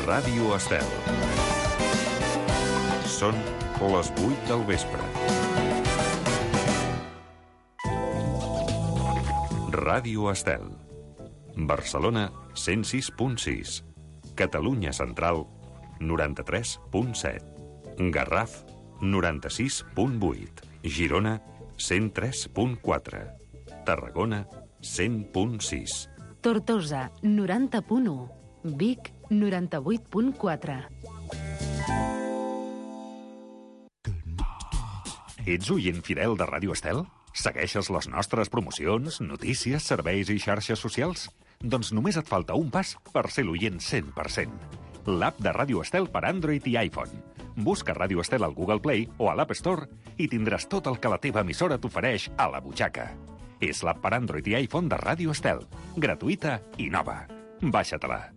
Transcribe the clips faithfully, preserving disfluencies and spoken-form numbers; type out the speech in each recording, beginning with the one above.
Ràdio Estel. Són les vuit del vespre. Ràdio Estel. Barcelona, cent sis punt sis. Catalunya Central, noranta-tres punt set. Garraf, noranta-sis punt vuit. Girona, cent tres punt quatre. Tarragona, cent punt sis. Tortosa, noranta punt u. Vic, noranta-vuit punt quatre. Ets oient fidel de Ràdio Estel? Segueixes les nostres promocions, notícies, serveis i xarxes socials? Doncs només et falta un pas per ser l'oient cent per cent. L'app de Ràdio Estel per Android i iPhone. Busca Ràdio Estel al Google Play o a l'App Store i tindràs tot el que la teva emissora t'ofereix a la butxaca. És l'app per Android i iPhone de Ràdio Estel. Gratuïta i nova. Baixa-te-la.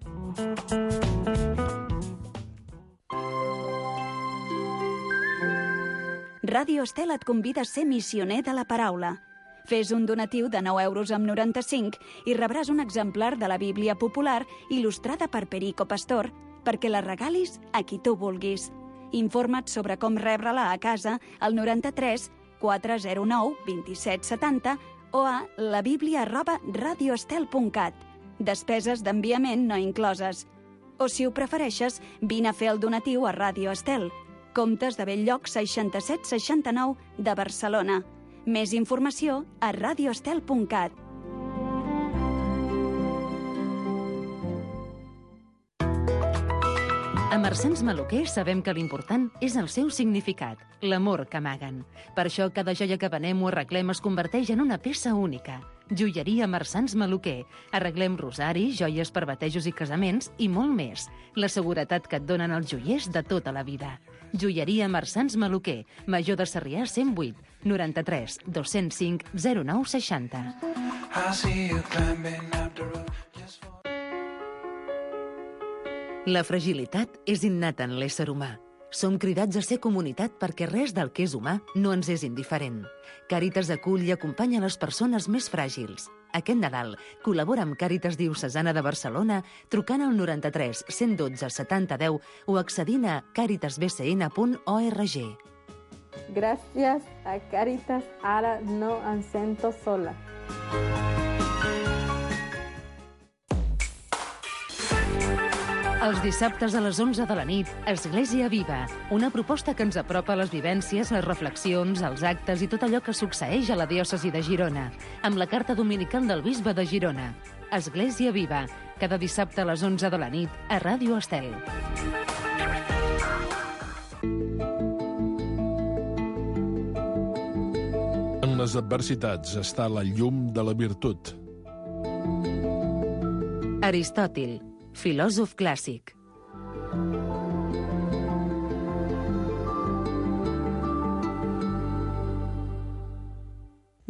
Ràdio Estel et convida a ser missioner de la paraula. Fes un donatiu de nou euros amb noranta-cinc i rebràs un exemplar de la Bíblia popular il·lustrada per Perico Pastor perquè la regalis a qui tu vulguis. Informa't sobre com rebre-la a casa al noranta-tres quatre zero nou vint-i-set setanta o a la bíblia arroba radioestel punt cat. Despeses d'enviament no incloses. O, si ho prefereixes, vine a fer el donatiu a Ràdio Estel. Comtes de Belllloc seixanta-set seixanta-nou de Barcelona. Més informació a radioestel punt cat. A Marsans Maluquer sabem que l'important és el seu significat, l'amor que amaguen. Per això cada joia que venem o arreglem es converteix en una peça única. Joieria Marsans Maluquer. Arreglem rosaris, joies per batejos i casaments i molt més. La seguretat que et donen els joiers de tota la vida. Joieria Marsans Maluquer, Major de Sarrià cent vuit, noranta-tres dos-cents cinc zero nou seixanta. La fragilitat és innata en l'ésser humà. Som cridats a ser comunitat perquè res del que és humà no ens és indiferent. Càritas acull i acompanya les persones més fràgils. Aquest Nadal col·labora amb Càritas Diocesana de Barcelona trucant al noranta-tres cent dotze setanta deu o accedint a càritas b c n punt org. Gràcies a Càritas, ara no em sento sola. Els dissabtes a les onze de la nit, Església Viva, una proposta que ens apropa a les vivències, les reflexions, els actes i tot allò que succeeix a la diòcesi de Girona, amb la carta dominical del bisbe de Girona. Església Viva, cada dissabte a les onze de la nit, a Ràdio Estel. En les adversitats està la llum de la virtut. Aristòtil, filòsof clàssic.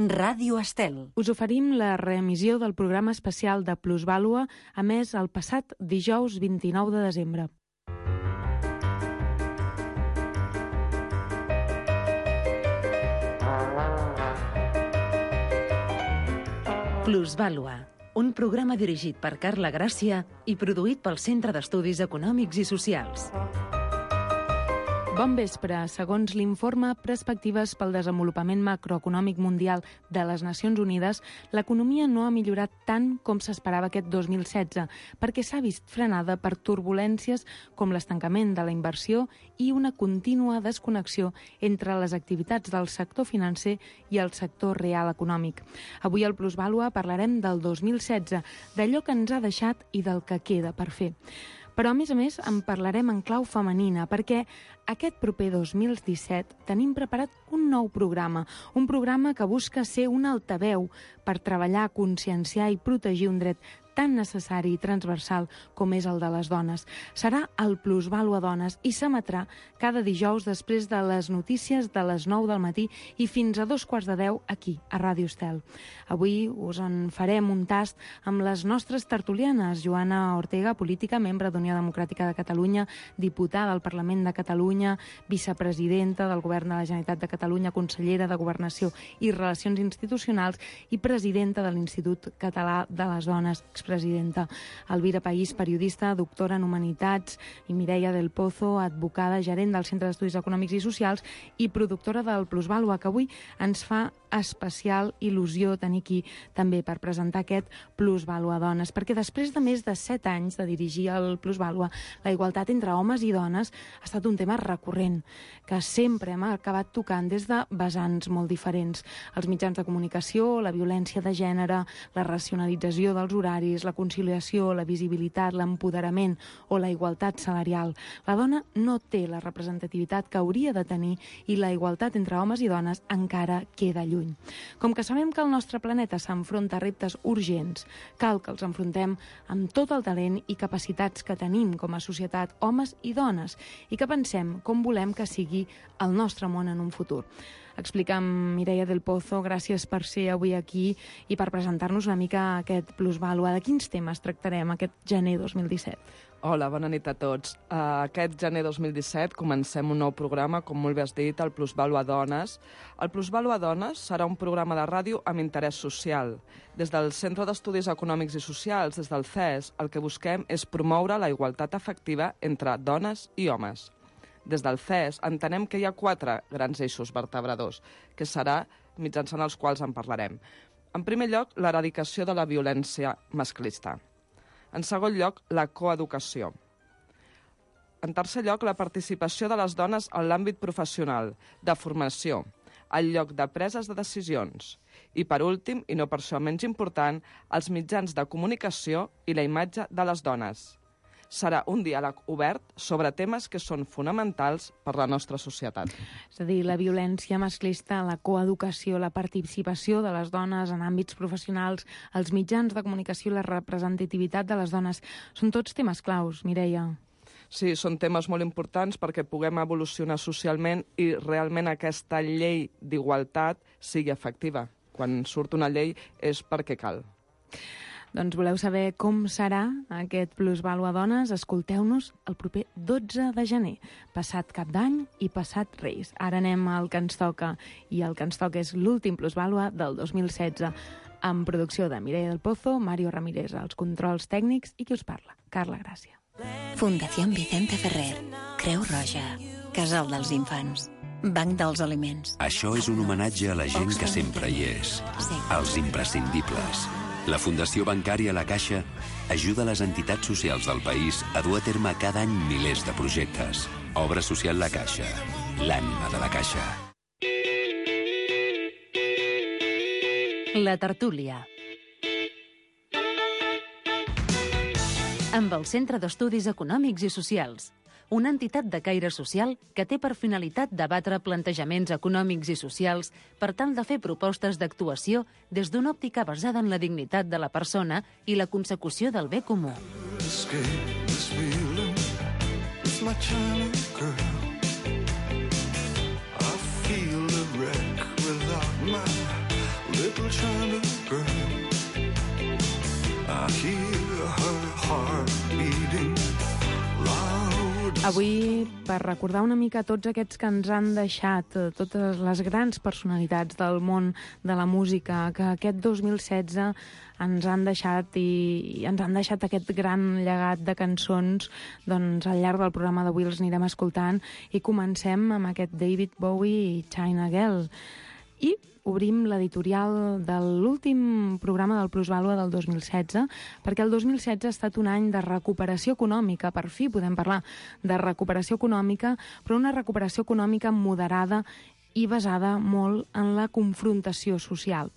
Ràdio Estel. Us oferim la reemissió del programa especial de Plusvàlua, emès el passat dijous vint-i-nou de desembre. Plusvàlua, un programa dirigit per Carla Gràcia i produït pel Centre d'Estudis Econòmics i Socials. Bon vespre. Segons l'informe Perspectives pel desenvolupament macroeconòmic mundial de les Nacions Unides, l'economia no ha millorat tant com s'esperava aquest dos mil setze, perquè s'ha vist frenada per turbulències com l'estancament de la inversió i una contínua desconnexió entre les activitats del sector financer i el sector real econòmic. Avui al Plusvàlua parlarem del dos mil setze, d'allò que ens ha deixat i del que queda per fer. Però, a més a més, en parlarem en clau femenina, perquè aquest proper dos mil disset tenim preparat un nou programa, un programa que busca ser un altaveu per treballar, conscienciar i protegir un dret tan necessari i transversal com és el de les dones. Serà el Plusvàlua Dones i s'emetrà cada dijous després de les notícies de les nou del matí i fins a dos quarts de deu aquí, a Ràdio Estel. Avui us en farem un tast amb les nostres tertulianes. Joana Ortega, política, membre d'Unió Democràtica de Catalunya, diputada al Parlament de Catalunya, vicepresidenta del Govern de la Generalitat de Catalunya, consellera de Governació i Relacions Institucionals i presidenta de l'Institut Català de les Dones, expresidenta vicepresidenta. Elvira País, periodista, doctora en Humanitats, i Mireia del Pozo, advocada, gerent del Centre d'Estudis Econòmics i Socials i productora del Plusvàlua, que avui ens fa especial il·lusió tenir aquí també per presentar aquest Plusvàlua Dones, perquè després de més de set anys de dirigir el Plusvàlua, la igualtat entre homes i dones ha estat un tema recurrent, que sempre hem acabat tocant des de vessants molt diferents. Els mitjans de comunicació, la violència de gènere, la racionalització dels horaris, la conciliació, la visibilitat, l'empoderament o la igualtat salarial. La dona no té la representativitat que hauria de tenir i la igualtat entre homes i dones encara queda lluny. Com que sabem que el nostre planeta s'enfronta a reptes urgents, cal que els enfrontem amb tot el talent i capacitats que tenim com a societat, homes i dones, i que pensem com volem que sigui el nostre món en un futur. Explica'm, Mireia del Pozo, gràcies per ser avui aquí i per presentar-nos una mica aquest Plusvàlua. De quins temes tractarem aquest gener dos mil disset? Hola, bona nit a tots. Uh, aquest gener dos mil disset comencem un nou programa, com molt bé has dit, el Plusvàlua Dones. El Plusvàlua Dones serà un programa de ràdio amb interès social. Des del Centre d'Estudis Econòmics i Socials, des del C E S, el que busquem és promoure la igualtat efectiva entre dones i homes. Des del C E S entenem que hi ha quatre grans eixos vertebradors, que serà mitjançant els quals en parlarem. En primer lloc, l'eradicació de la violència masclista. En segon lloc, la coeducació. En tercer lloc, la participació de les dones en l'àmbit professional, de formació, al lloc de preses de decisions. I, per últim, i no per això menys important, els mitjans de comunicació i la imatge de les dones. Serà un diàleg obert sobre temes que són fonamentals per la nostra societat. És a dir, la violència masclista, la coeducació, la participació de les dones en àmbits professionals, els mitjans de comunicació i la representativitat de les dones, són tots temes claus, Mireia. Sí, són temes molt importants perquè puguem evolucionar socialment i realment aquesta llei d'igualtat sigui efectiva. Quan surt una llei és perquè cal. Doncs voleu saber com serà aquest Plusvàlua Dones? Escolteu-nos el proper dotze de gener, passat Cap d'Any i passat Reis. Ara anem al que ens toca, i el que ens toca és l'últim Plusvàlua del dos mil setze, amb producció de Mireia del Pozo, Mario Ramírez, als controls tècnics, i qui us parla, Carla Gràcia. Fundació Vicente Ferrer, Creu Roja, Casal dels Infants, Banc dels Aliments. Això és un homenatge a la gent que sempre hi és, als imprescindibles. La Fundació Bancària La Caixa ajuda les entitats socials del país a dur a terme cada any milers de projectes. Obra social La Caixa, l'ànima de la Caixa. La tertúlia. Amb el Centre d'Estudis Econòmics i Socials, una entitat de caire social que té per finalitat debatre plantejaments econòmics i socials per tal de fer propostes d'actuació des d'una òptica basada en la dignitat de la persona i la consecució del bé comú. Avui, per recordar una mica tots aquests que ens han deixat, totes les grans personalitats del món de la música, que aquest dos mil setze ens han deixat i ens han deixat aquest gran llegat de cançons, doncs al llarg del programa d'avui els anirem escoltant, i comencem amb aquest David Bowie i China Girl. I obrim l'editorial de l'últim programa del Plusvàlua del dos mil setze, perquè el dos mil setze ha estat un any de recuperació econòmica. Per fi podem parlar de recuperació econòmica, però una recuperació econòmica moderada i basada molt en la confrontació social.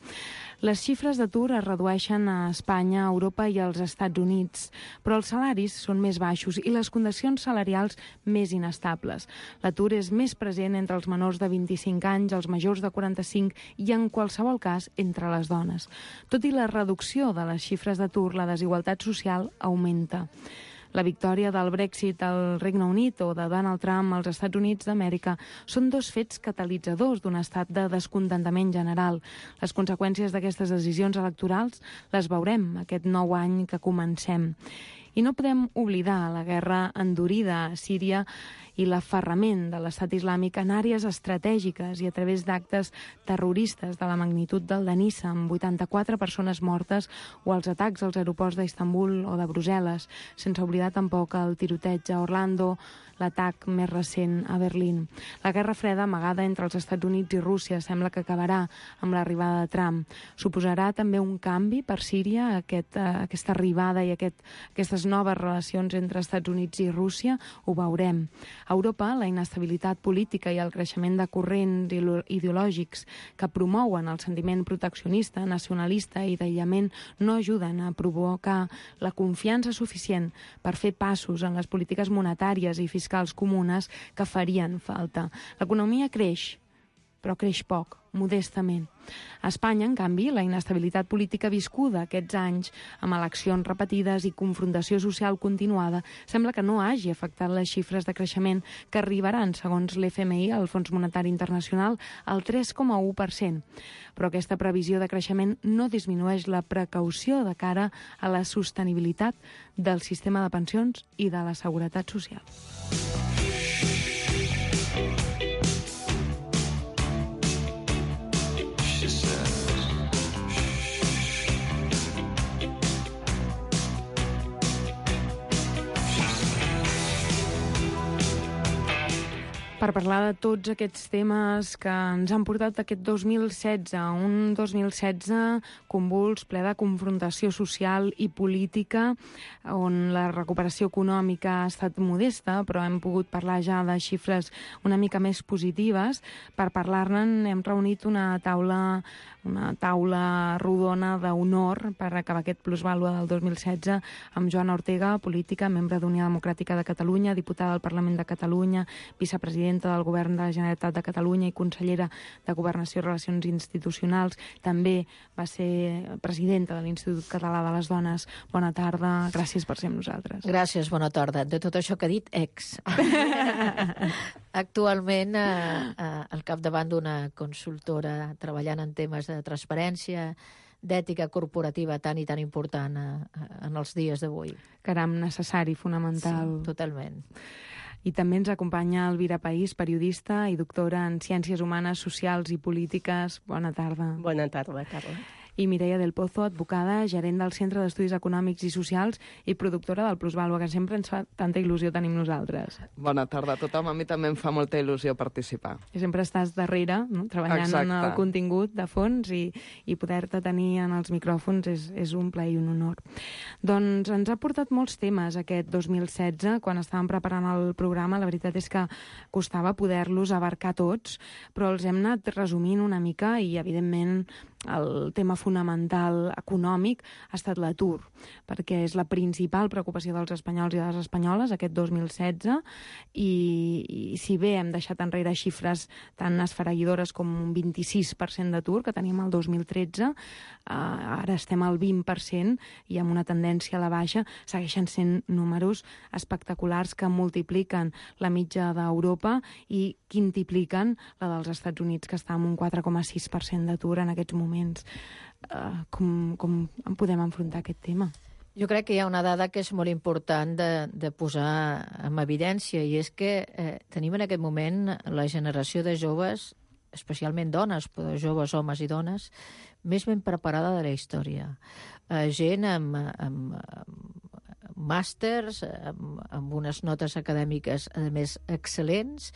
Les xifres d'atur es redueixen a Espanya, a Europa i als Estats Units, però els salaris són més baixos i les condicions salarials més inestables. L'atur és més present entre els menors de vint-i-cinc anys, els majors de quaranta-cinc i, en qualsevol cas, entre les dones. Tot i la reducció de les xifres d'atur, la desigualtat social augmenta. La victòria del Brexit al Regne Unit o de Donald Trump als Estats Units d'Amèrica són dos fets catalitzadors d'un estat de descontentament general. Les conseqüències d'aquestes decisions electorals les veurem aquest nou any que comencem. I no podem oblidar la guerra endurida a Síria i l'aferrament de l'estat islàmic en àrees estratègiques i a través d'actes terroristes de la magnitud del de Niça, amb vuitanta-quatre persones mortes, o els atacs als aeroports d'Istanbul o de Brussel·les, sense oblidar tampoc el tiroteig a Orlando, l'atac més recent a Berlín. La guerra freda amagada entre els Estats Units i Rússia sembla que acabarà amb l'arribada de Trump. Suposarà també un canvi per Síria, aquest, uh, aquesta arribada i aquest, aquestes noves relacions entre Estats Units i Rússia? Ho veurem. A Europa, la inestabilitat política i el creixement de corrents ideològics que promouen el sentiment proteccionista, nacionalista i d'aïllament no ajuden a provocar la confiança suficient per fer passos en les polítiques monetàries i fiscals comunes que farien falta. L'economia creix, però creix poc, modestament. A Espanya, en canvi, la inestabilitat política viscuda aquests anys, amb eleccions repetides i confrontació social continuada, sembla que no hagi afectat les xifres de creixement que arribaran, segons l'F M I, el Fons Monetari Internacional, al tres coma u per cent. Però aquesta previsió de creixement no disminueix la precaució de cara a la sostenibilitat del sistema de pensions i de la seguretat social. Per parlar de tots aquests temes que ens han portat aquest dos mil setze, un dos mil setze convuls, ple de confrontació social i política, on la recuperació econòmica ha estat modesta, però hem pogut parlar ja de xifres una mica més positives. Per parlar-ne hem reunit una taula, una taula rodona d'honor per acabar aquest plusvàlua del dos mil setze amb Joana Ortega, política, membre d'Unió Democràtica de Catalunya, diputada del Parlament de Catalunya, vicepresidenta del Govern de la Generalitat de Catalunya i consellera de Governació i Relacions Institucionals. També va ser presidenta de l'Institut Català de les Dones. Bona tarda, gràcies per ser amb nosaltres. Gràcies, bona tarda. De tot això que ha dit, ex. Actualment, eh, al capdavant d'una consultora treballant en temes de transparència, d'ètica corporativa tan i tan important eh, en els dies d'avui. Caram, necessari, fonamental. Sí, totalment. I també ens acompanya Elvira País, periodista i doctora en Ciències Humanes, Socials i Polítiques. Bona tarda. Bona tarda, Carla. I Mireia del Pozo, advocada, gerent del Centre d'Estudis Econòmics i Socials i productora del Plusvàlua, que sempre ens fa tanta il·lusió tenim nosaltres. Bona tarda a tothom. A mi també em fa molta il·lusió participar. I sempre estàs darrere, no? Treballant Exacte. En el contingut de fons i, i poder-te tenir en els micròfons és, és un plaer i un honor. Doncs ens ha portat molts temes aquest dos mil setze. Quan estàvem preparant el programa, la veritat és que costava poder-los abarcar tots, però els hem anat resumint una mica i, evidentment, el tema fonamental econòmic ha estat l'atur, perquè és la principal preocupació dels espanyols i de les espanyoles aquest dos mil setze i, i si bé hem deixat enrere xifres tan esfereïdores com un vint-i-sis per cent d'atur que teníem el dos mil tretze, eh, ara estem al vint per cent i amb una tendència a la baixa. Segueixen sent números espectaculars que multipliquen la mitja d'Europa i quintupliquen la dels Estats Units, que està amb un quatre coma sis per cent d'atur en aquests moments. Uh, com, com podem enfrontar aquest tema? Jo crec que hi ha una dada que és molt important de, de posar en evidència, i és que eh, tenim en aquest moment la generació de joves, especialment dones, però joves, homes i dones, més ben preparada de la història. Eh, gent amb, amb, amb màsters, amb, amb unes notes acadèmiques, a més, excel·lents,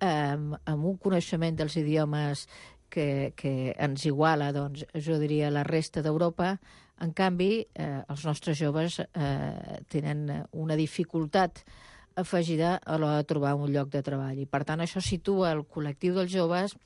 amb, amb un coneixement dels idiomes Que, que ens iguala, doncs, jo diria, la resta d'Europa. En canvi, eh, els nostres joves eh, tenen una dificultat afegida a l'hora de trobar un lloc de treball. I, per tant, això situa el col·lectiu dels joves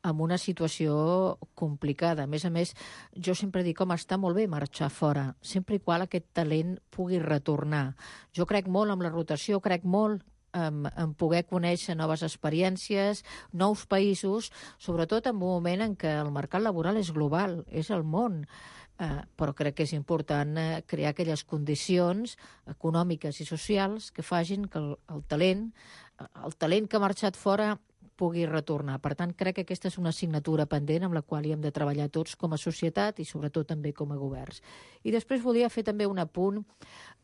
en una situació complicada. A més a més, jo sempre dic, home, està molt bé marxar fora, sempre i qual aquest talent pugui retornar. Jo crec molt en la rotació, crec molt En, en poder conèixer noves experiències, nous països, sobretot en un moment en què el mercat laboral és global, és el món. Eh, però crec que és important eh, crear aquelles condicions econòmiques i socials que facin que el, el talent, el talent que ha marxat fora pugui retornar. Per tant, crec que aquesta és una assignatura pendent amb la qual hi hem de treballar tots com a societat i sobretot també com a governs. I després volia fer també un apunt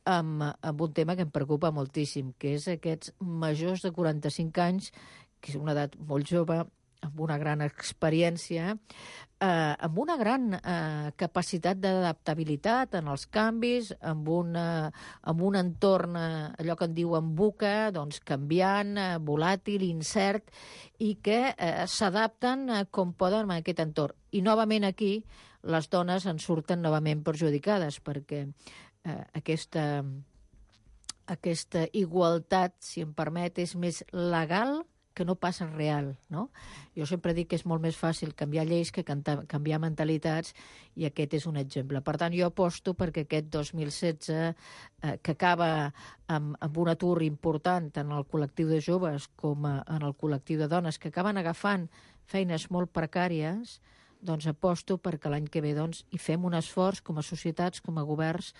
amb, amb un tema que em preocupa moltíssim, que és aquests majors de quaranta-cinc anys, que és una edat molt jove, amb una gran experiència, eh, amb una gran eh, capacitat d'adaptabilitat en els canvis, amb, una, amb un entorn, eh, allò que en diuen buca, doncs canviant, eh, volàtil, incert, i que eh, s'adapten eh, com poden a aquest entorn. I novament aquí les dones en surten novament perjudicades, perquè eh, aquesta, aquesta igualtat, si em permet, és més legal que no passa real, no? Jo sempre dic que és molt més fàcil canviar lleis que canviar mentalitats, i aquest és un exemple. Per tant, jo aposto perquè aquest dos mil setze, eh, que acaba amb, amb un atur important en el col·lectiu de joves com a, en el col·lectiu de dones, que acaben agafant feines molt precàries, doncs aposto perquè l'any que ve doncs, hi fem un esforç com a societats, com a governs,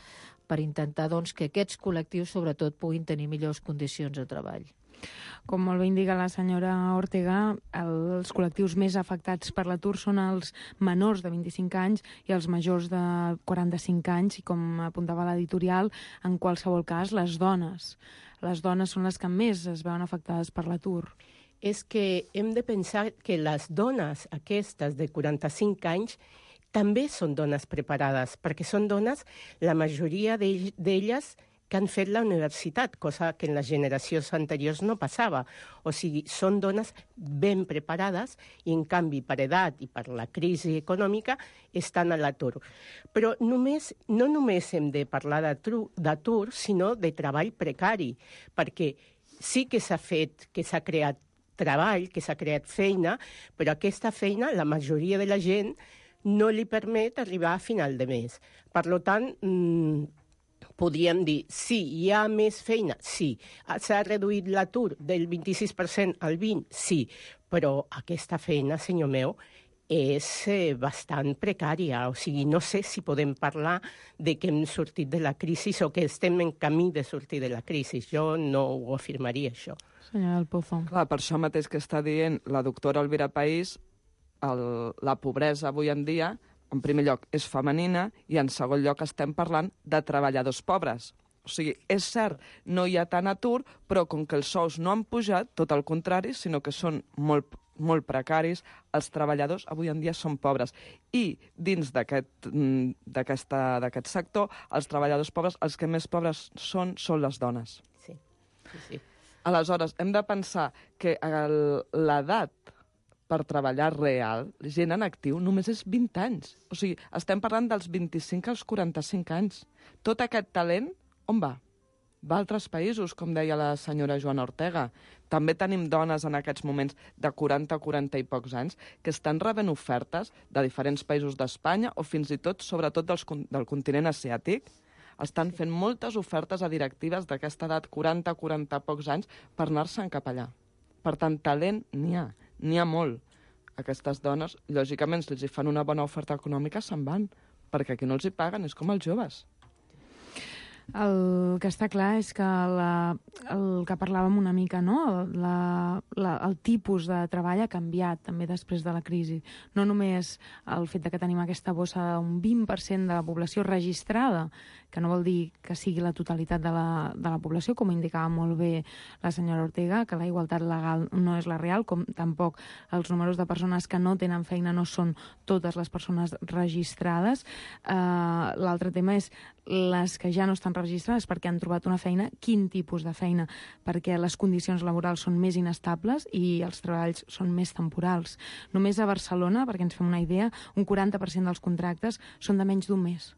per intentar doncs, que aquests col·lectius sobretot puguin tenir millors condicions de treball. Com molt bé indica la senyora Ortega, els col·lectius més afectats per l'atur són els menors de vint-i-cinc anys i els majors de quaranta-cinc anys, i com apuntava l'editorial, en qualsevol cas, les dones. Les dones són les que més es veuen afectades per l'atur. És que hem de pensar que les dones aquestes de quaranta-cinc anys també són dones preparades, perquè són dones, la majoria d'elles, que han fet la universitat, cosa que en les generacions anteriors no passava. O sigui, són dones ben preparades i, en canvi, per edat i per la crisi econòmica, estan a l'atur. Però només, no només hem de parlar d'atur, sinó de treball precari, perquè sí que s'ha fet, que s'ha creat treball, que s'ha creat feina, però aquesta feina, la majoria de la gent, no li permet arribar a final de mes. Per tant, mmm, podríem dir, sí, hi ha més feina? Sí. S'ha reduït l'atur del vint-i-sis per cent al vint per cent? Sí. Però aquesta feina, senyor meu, és eh, bastant precària. O sigui, no sé si podem parlar de que hem sortit de la crisi o que estem en camí de sortir de la crisi. Jo no ho afirmaria, això. Senyora del Pozo. Clar, per això mateix que està dient la doctora Elvira País, el, la pobresa avui en dia, en primer lloc, és femenina, i en segon lloc estem parlant de treballadors pobres. O sigui, és cert, no hi ha tant atur, però com que els sous no han pujat, tot el contrari, sinó que són molt, molt precaris, els treballadors avui en dia són pobres. I dins d'aquest d'aquest sector, els treballadors pobres, els que més pobres són, són les dones. Sí, sí, sí. Aleshores, hem de pensar que l'edat per treballar real, gent en actiu, només és vint anys. O sigui, estem parlant dels vint-i-cinc als quaranta-cinc anys. Tot aquest talent, on va? Va a altres països, com deia la senyora Joana Ortega. També tenim dones en aquests moments de quaranta, quaranta i pocs anys que estan rebent ofertes de diferents països d'Espanya o fins i tot, sobretot dels, del continent asiàtic. Estan fent moltes ofertes a directives d'aquesta edat, quaranta, quaranta pocs anys, per anar-se'n cap allà. Per tant, talent n'hi ha. N'hi ha molt. Aquestes dones, lògicament, si els hi fan una bona oferta econòmica, se'n van, perquè aquí no els hi paguen, és com els joves. El que està clar és que la, el que parlàvem una mica, no? La, la, el tipus de treball ha canviat també després de la crisi. No només el fet de que tenim aquesta bossa d'un vint per cent de la població registrada, que no vol dir que sigui la totalitat de la, de la població, com indicava molt bé la senyora Ortega, que la igualtat legal no és la real, com tampoc els números de persones que no tenen feina no són totes les persones registrades. Uh, L'altre tema és les que ja no estan registrades perquè han trobat una feina, quin tipus de feina, perquè les condicions laborals són més inestables i els treballs són més temporals. Només a Barcelona, perquè ens fem una idea, un quaranta per cent dels contractes són de menys d'un mes.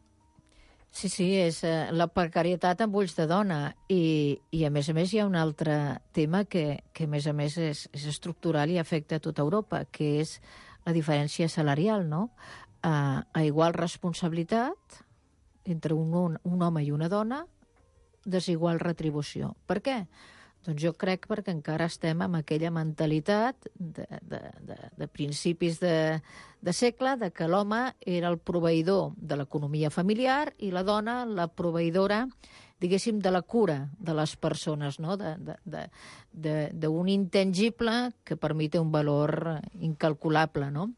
Sí, sí, és eh, la precarietat amb ulls de dona i, i a més a més hi ha un altre tema que, que a més a més és, és estructural i afecta a tota Europa, que és la diferència salarial, no? Uh, a igual responsabilitat entre un, un, un home i una dona, desigual retribució. Per què? Doncs jo crec perquè encara estem amb aquella mentalitat de, de, de, de principis de, de segle, de que l'home era el proveïdor de l'economia familiar i la dona la proveïdora diguéssim, de la cura de les persones, no? D'un intangible que per mi té un valor incalculable, no?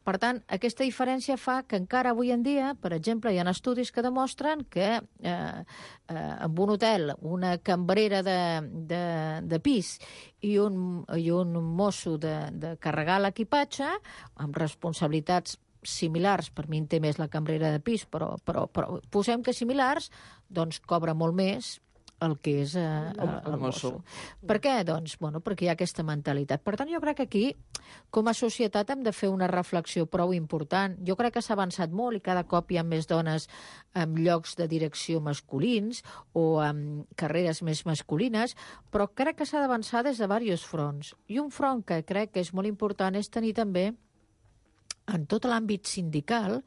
Per tant, aquesta diferència fa que encara avui en dia, per exemple, hi ha estudis que demostren que eh, eh, en un hotel una cambrera de, de, de pis i un, i un mosso de, de carregar l'equipatge, amb responsabilitats similars, per mi en té més la cambrera de pis, però, però, però posem que similars, doncs cobra molt més el que és eh, el, el mosso. Per què? Doncs, bueno, perquè hi ha aquesta mentalitat. Per tant, jo crec que aquí, com a societat, hem de fer una reflexió prou important. Jo crec que s'ha avançat molt i cada cop hi ha més dones en llocs de direcció masculins o en carreres més masculines, però crec que s'ha d'avançar des de diversos fronts. I un front que crec que és molt important és tenir també en tot l'àmbit sindical,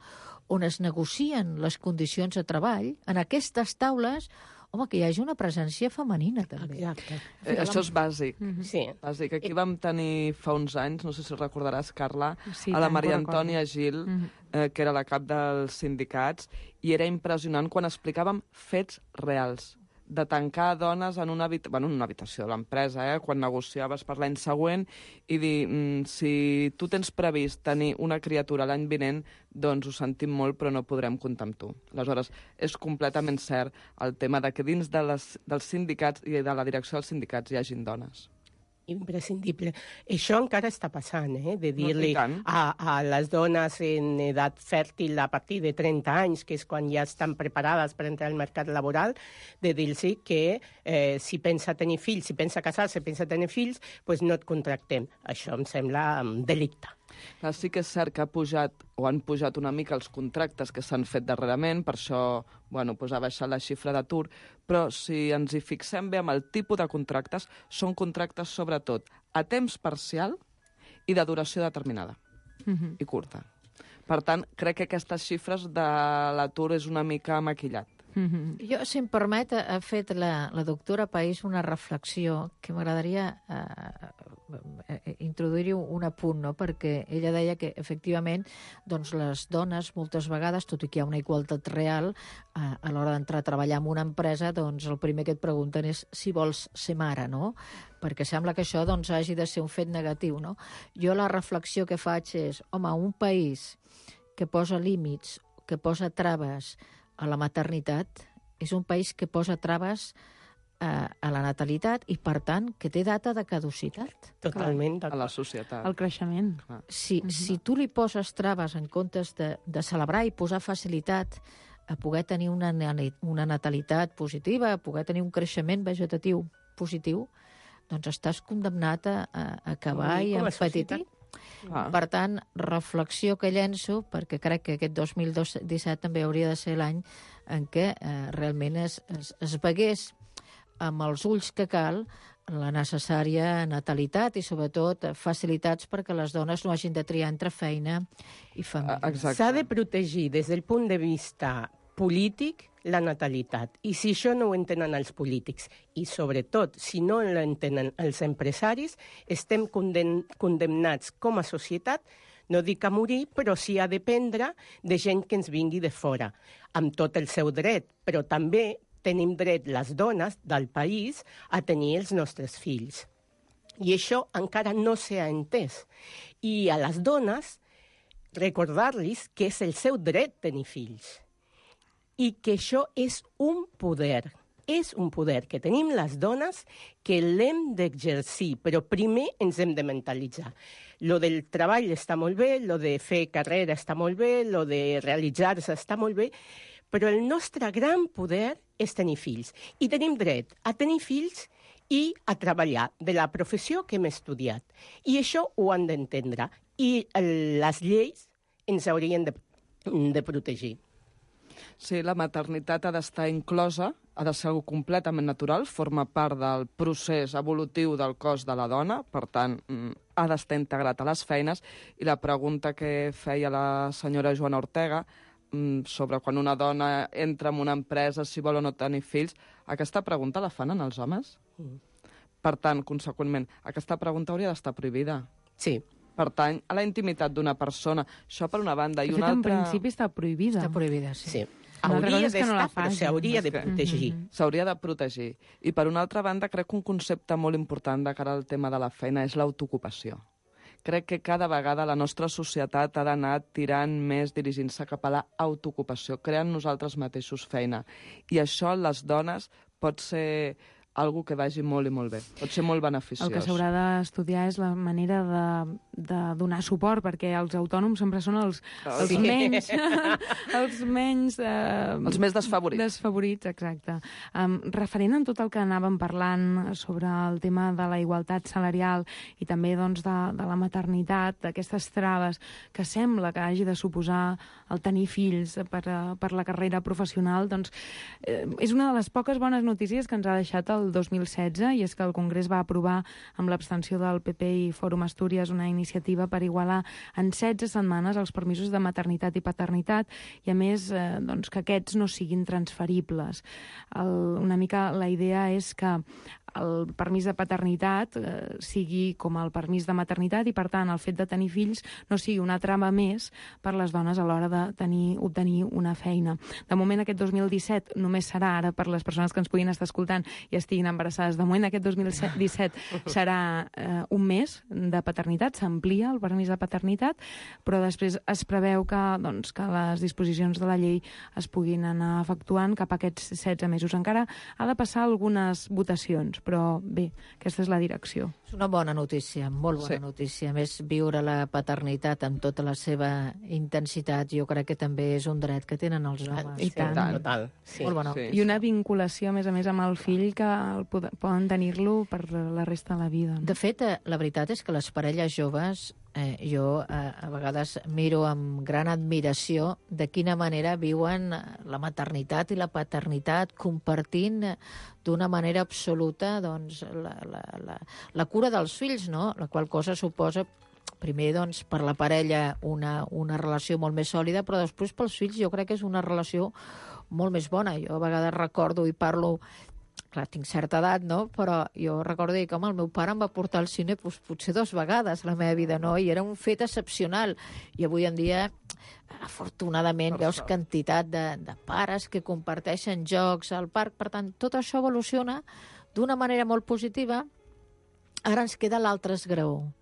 on es negocien les condicions de treball, en aquestes taules, home, que hi hagi una presència femenina, també. Exacte. Eh, això és bàsic. Mm-hmm. Sí. Bàsic. Aquí vam tenir fa uns anys, no sé si recordaràs, Carla, sí, a la Maria Antònia Gil, mm-hmm. eh, que era la cap dels sindicats, i era impressionant quan explicàvem fets reals de tancar dones en una, habita bueno, en una habitació de l'empresa, eh, quan negociaves per l'any següent, i dir, mm, si tu tens previst tenir una criatura l'any vinent, doncs ho sentim molt, però no podrem comptar amb tu. Aleshores, és completament cert el tema de que dins de les, dels sindicats i de la direcció dels sindicats hi hagin dones. Imprescindible. Això encara està passant, eh? De dir-li No, a, a les dones en edat fèrtil a partir de trenta anys, que és quan ja estan preparades per entrar al mercat laboral, de dir-los que eh, si pensa tenir fills, si pensa casar-se, si pensa tenir fills, doncs no et contractem. Això em sembla um, delicte. Clar, sí que és cert que ha pujat, o han pujat una mica els contractes que s'han fet darrerament, per això bueno, pues ha baixat la xifra d'atur, però si ens hi fixem bé amb el tipus de contractes, són contractes sobretot a temps parcial i de duració determinada, Mm-hmm. i curta. Per tant, crec que aquestes xifres de l'atur és una mica maquillat. Mm-hmm. Jo, si em permet, ha fet la, la doctora País una reflexió que m'agradaria eh, eh, introduir-hi un apunt, no? Perquè ella deia que, efectivament, doncs, les dones, moltes vegades, tot i que hi ha una igualtat real, eh, a l'hora d'entrar a treballar en una empresa, doncs el primer que et pregunten és si vols ser mare, no? Perquè sembla que això doncs, hagi de ser un fet negatiu, no? Jo la reflexió que faig és, home, un país que posa límits, que posa traves a la maternitat, és un país que posa traves a, a la natalitat i, per tant, que té data de caducitat. Totalment. A la societat. El creixement. Si, mm-hmm. si tu li poses traves en comptes de, de celebrar i posar facilitat a poder tenir una, una natalitat positiva, a poder tenir un creixement vegetatiu positiu, doncs estàs condemnat a, a acabar i a empetitir. Ah. Per tant, reflexió que llenço, perquè crec que aquest dos mil disset també hauria de ser l'any en què eh, realment es, es, es vegués amb els ulls que cal la necessària natalitat i, sobretot, facilitats perquè les dones no hagin de triar entre feina i família. S'ha de protegir des del punt de vista polític la natalitat. I si això no ho entenen els polítics i, sobretot, si no l'entenen els empresaris, estem condemn condemnats com a societat, no dic a morir, però sí a dependre de gent que ens vingui de fora, amb tot el seu dret, però també tenim dret les dones del país a tenir els nostres fills. I això encara no s'ha entès. I a les dones recordar-los que és el seu dret tenir fills i que això és un poder, és un poder que tenim les dones que l'hem d'exercir, però primer ens hem de mentalitzar. Lo del treball està molt bé, lo de fer carrera està molt bé, lo de realitzar-se està molt bé, però el nostre gran poder és tenir fills. I tenim dret a tenir fills i a treballar de la professió que hem estudiat. I això ho han d'entendre. I les lleis ens haurien de, de protegir. Sí, la maternitat ha d'estar inclosa, ha de ser algo completament natural, forma part del procés evolutiu del cos de la dona, per tant, ha d'estar integrat a les feines, i la pregunta que feia la senyora Joana Ortega sobre quan una dona entra en una empresa, si vol o no tenir fills, aquesta pregunta la fan en els homes? Mm. Per tant, conseqüentment, aquesta pregunta hauria d'estar prohibida. Sí. Pertany a la intimitat d'una persona. Això per una banda. I de una fet, altra... en principi està prohibida. Està prohibida, sí. Sí. Hauria d'estar, però s'hauria de protegir. S'hauria de protegir. I per una altra banda, crec que un concepte molt important de cara al tema de la feina és l'autoocupació. Crec que cada vegada la nostra societat ha d'anar tirant més, dirigint-se cap a l'autoocupació, creant nosaltres mateixos feina. I això, les dones, pot ser algo que vagi molt i molt bé. Pot ser molt beneficiós. El que s'haurà d'estudiar és la manera de, de donar suport, perquè els autònoms sempre són els, els Sí. menys... els menys... Eh, Els més desfavorits. Desfavorits, exacte. Um, referent en tot el que anàvem parlant sobre el tema de la igualtat salarial i també doncs, de, de la maternitat, d'aquestes traves que sembla que hagi de suposar el tenir fills per, uh, per la carrera professional, doncs eh, és una de les poques bones notícies que ens ha deixat el dos mil setze, i és que el Congrés va aprovar amb l'abstenció del P P i Fòrum Astúries una iniciativa per igualar en setze setmanes els permisos de maternitat i paternitat i, a més, eh, doncs, que aquests no siguin transferibles. El, una mica la idea és que el permís de paternitat eh, sigui com el permís de maternitat i, per tant, el fet de tenir fills no sigui una trama més per les dones a l'hora de tenir, obtenir una feina. De moment, aquest dos mil disset només serà, ara per les persones que ens puguin estar escoltant i estiguin embarassades, de moment aquest dos mil disset serà eh, un mes de paternitat, s'amplia el permís de paternitat, però després es preveu que, doncs, que les disposicions de la llei es puguin anar efectuant cap a aquests setze mesos. Encara ha de passar algunes votacions, però bé, aquesta és la direcció. És una bona notícia, molt bona Sí. notícia. A més, viure la paternitat amb tota la seva intensitat, jo crec que també és un dret que tenen els homes. I tant. Total, sí. Molt bona. Sí. I una vinculació, a més a més, amb el fill que el pod- poden tenir-lo per la resta de la vida. No? De fet, eh, la veritat és que les parelles joves, eh, jo eh, a vegades miro amb gran admiració de quina manera viuen eh, la maternitat i la paternitat, compartint eh, d'una manera absoluta doncs, la, la, la, la cura dels fills, no? La qual cosa suposa primer, doncs, per la parella una, una relació molt més sòlida, però després pels fills jo crec que és una relació molt més bona. Jo a vegades recordo i parlo, clar, tinc certa edat, no? Però jo recordo que, home, el meu pare em va portar al cine doncs, potser dues vegades a la meva vida, no? I era un fet excepcional. I avui en dia, afortunadament, Per veus sort. quantitat de, de pares que comparteixen jocs al parc. Per tant, tot això evoluciona d'una manera molt positiva. Ara ens queda l'altre esgraó,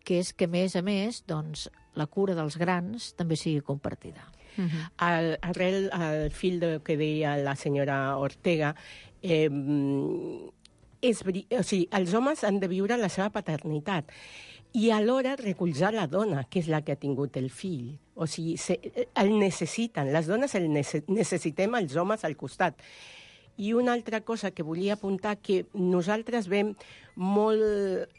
que és que, a més a més, doncs, la cura dels grans també sigui compartida. Uh-huh. Al, arrel al fil del que deia la senyora Ortega, eh, és, veri- o sigui, els homes han de viure la seva paternitat i alhora recolzar la dona, que és la que ha tingut el fill. O sigui, se, el necessiten, les dones el nece, necessitem els homes al costat. I una altra cosa que volia apuntar, que nosaltres veiem molt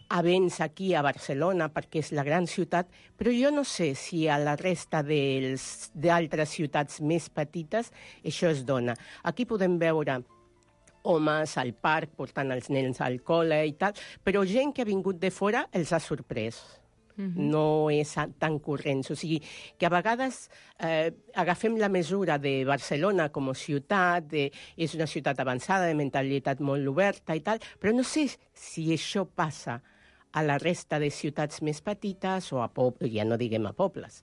avenç aquí a Barcelona, perquè és la gran ciutat, però jo no sé si a la resta dels- d'altres ciutats més petites això es dona. Aquí podem veure homes al parc portant els nens al col·le i tal, però gent que ha vingut de fora els ha sorprès. Mhm. No és a- tan corrents. O sigui, que a vegades eh, agafem la mesura de Barcelona com a ciutat, de, és una ciutat avançada, de mentalitat molt oberta i tal, però no sé si això passa a la resta de ciutats més petites o a pobles, ja no diguem a pobles.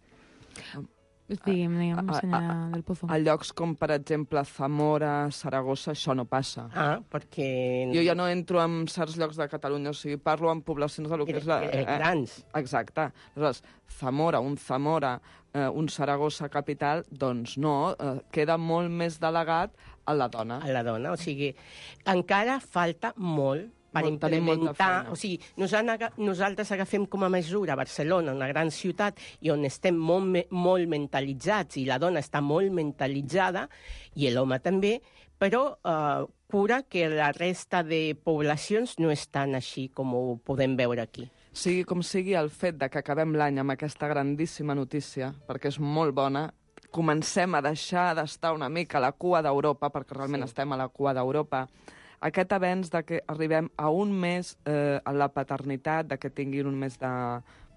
Digue'm, digue'm, A- a- senyora del Pozo. A llocs com, per exemple, Zamora, Saragossa, això no passa. Ah, perquè... Jo ja no entro en certs llocs de Catalunya, o sigui, parlo en poblacions de lo que és la... Eh, grans. Exacte. Aleshores, Zamora, un Zamora, eh, un Saragossa capital, doncs no, eh, queda molt més delegat a la dona. A la dona, o sigui, encara falta molt per Molt, tenim molta implementar... feina. O sigui, nosaltres, nosaltres agafem com a mesura Barcelona, una gran ciutat, i on estem molt, me- molt mentalitzats, i la dona està molt mentalitzada, i l'home també, però eh, cura que la resta de poblacions no estan així com ho podem veure aquí. Sigui com sigui, el fet de que acabem l'any amb aquesta grandíssima notícia, perquè és molt bona, comencem a deixar d'estar una mica a la cua d'Europa, perquè realment Sí. estem a la cua d'Europa, aquest avenç de que arribem a un mes eh, a la paternitat, de que tinguin un mes de,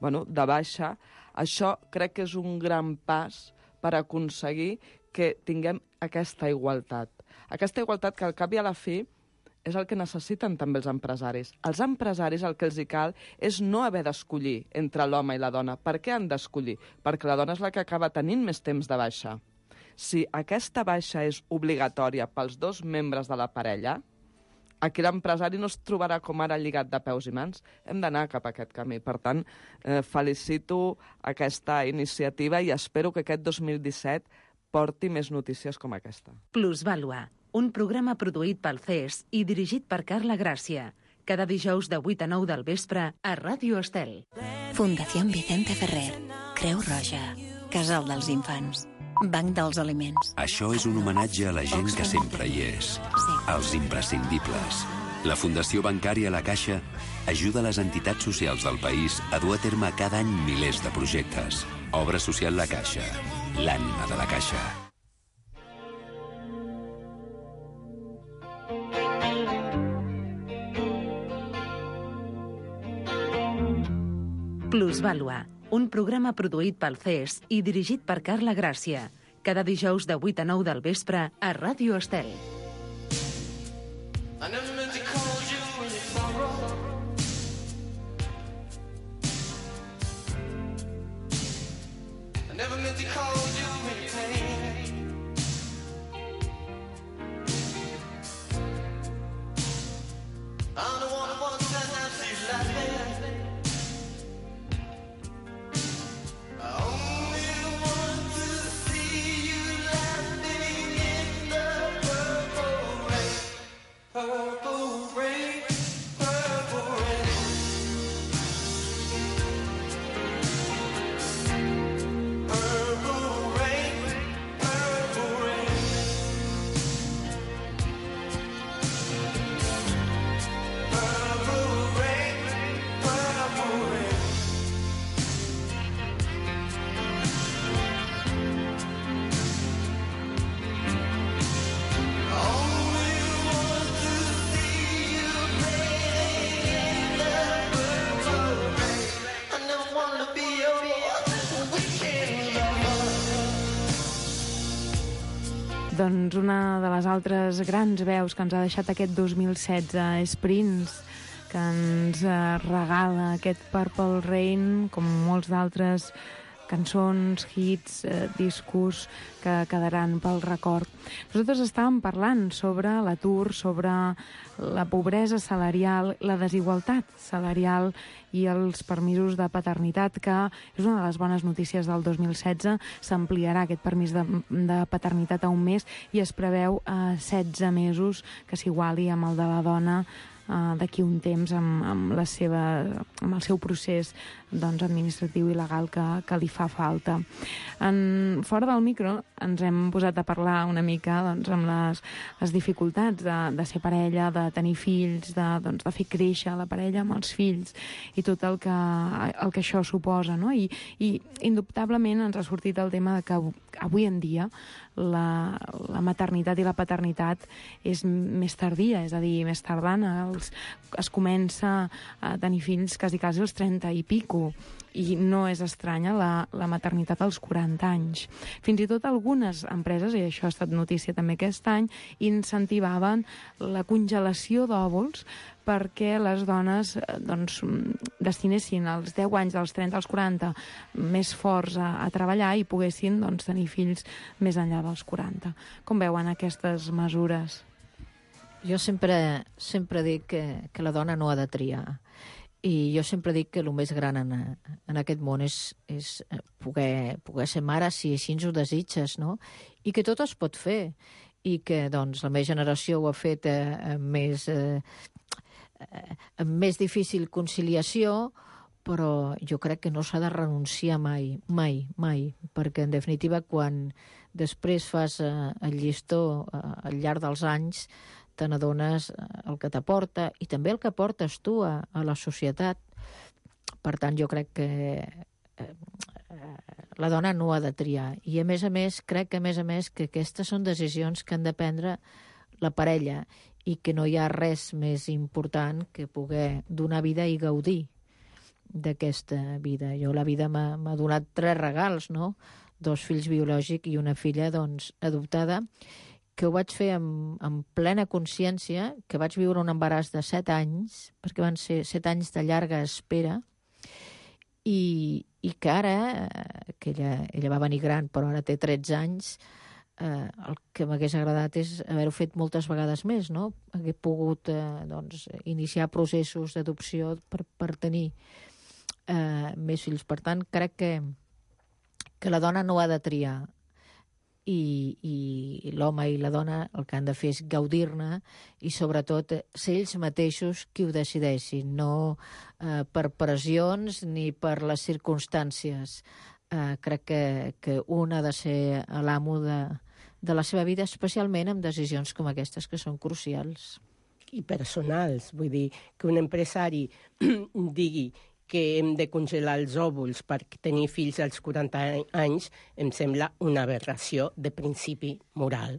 bueno, de baixa, això crec que és un gran pas per aconseguir que tinguem aquesta igualtat. Aquesta igualtat que al cap i a la fi és el que necessiten també els empresaris. Els empresaris el que els hi cal és no haver d'escollir entre l'home i la dona. Per què han d'escollir? Perquè la dona és la que acaba tenint més temps de baixa. si aquesta baixa és obligatòria pels dos membres de la parella, aquí l'empresari no es trobarà com ara lligat de peus i mans. Hem d'anar cap a aquest camí. Per tant, eh, felicito aquesta iniciativa i espero que aquest dos mil disset porti més notícies com aquesta. Plusvàlua, un programa produït pel C E S i dirigit per Carla Gràcia. Cada dijous de vuit a nou del vespre a Ràdio Estel. Fundació Vicente Ferrer, Creu Roja, Casal dels Infants, Banc dels Aliments. Això és un homenatge a la gent que sempre hi és. Els imprescindibles. La Fundació Bancària La Caixa ajuda les entitats socials del país a dur a terme cada any milers de projectes. Obra social La Caixa, l'ànima de la Caixa. Plusvàlua, un programa produït pel C E S i dirigit per Carla Gràcia. Cada dijous de vuit a nou del vespre a Ràdio Estel. Doncs una de les altres grans veus que ens ha deixat aquest dos mil setze és Prince, que ens regala aquest Purple Rain, com molts d'altres cançons, hits, eh, discos que quedaran pel record. Nosaltres estàvem parlant sobre l'atur, sobre la pobresa salarial, la desigualtat salarial i els permisos de paternitat, que és una de les bones notícies del dos mil setze. S'ampliarà aquest permís de, de paternitat a un mes i es preveu a setze mesos, que s'iguali amb el de la dona Uh, d'aquí un temps amb, amb, la seva, amb el seu procés doncs, administratiu i legal que, que li fa falta. En, fora del micro ens hem posat a parlar una mica doncs, amb les, les dificultats de, de ser parella, de tenir fills, de, doncs, de fer créixer la parella amb els fills i tot el que, el que això suposa, no? I, i indubtablement ens ha sortit el tema de que avui en dia la, la maternitat i la paternitat és més tardia, és a dir, més tardana. Els, es comença a tenir fills quasi, quasi als trenta i pico, i no és estranya la, la maternitat als quaranta anys. Fins i tot algunes empreses, i això ha estat notícia també aquest any, incentivaven la congelació d'òvuls perquè les dones doncs, destinessin els deu anys, dels trenta als quaranta, més forts a, a treballar i poguessin doncs, tenir fills més enllà dels quaranta. Com veuen aquestes mesures? Jo sempre, sempre dic que, que la dona no ha de triar. I jo sempre dic que el més gran en, en aquest món és, és poder, poder ser mare si així ens ho desitges, no? I que tot es pot fer. I que doncs, la meva generació ho ha fet eh, amb, més, eh, amb més difícil conciliació, però jo crec que no s'ha de renunciar mai, mai, mai, perquè en definitiva quan després fas eh, el llistó eh, al llarg dels anys te n'adones el que t'aporta i també el que portes tu a, a la societat. Per tant, jo crec que eh, la dona no ha de triar. I a més a més, crec que a més a més que aquestes són decisions que han de prendre la parella i que no hi ha res més important que poder donar vida i gaudir d'aquesta vida. Jo la vida m'ha donat tres regals, no? Dos fills biològics i una filla, doncs, adoptada, que ho vaig fer amb, amb plena consciència, que vaig viure un embaràs de set anys, perquè van ser set anys de llarga espera, i, i que ara, que ella, ella va venir gran, però ara té tretze anys, eh, el que m'hagués agradat és haver-ho fet moltes vegades més, no? Hagué pogut eh, doncs, iniciar processos d'adopció per, per tenir eh, més fills. Per tant, crec que, que la dona no ha de triar, i, i l'home i la dona el que han de fer és gaudir-ne i sobretot ser ells mateixos qui ho decideixin, no eh, per pressions ni per les circumstàncies. Eh, crec que, que un ha de ser l'amo de, de la seva vida, especialment amb decisions com aquestes que són crucials. I personals, vull dir, que un empresari digui que hem de congelar els òvuls per tenir fills als quaranta anys, em sembla una aberració de principi moral.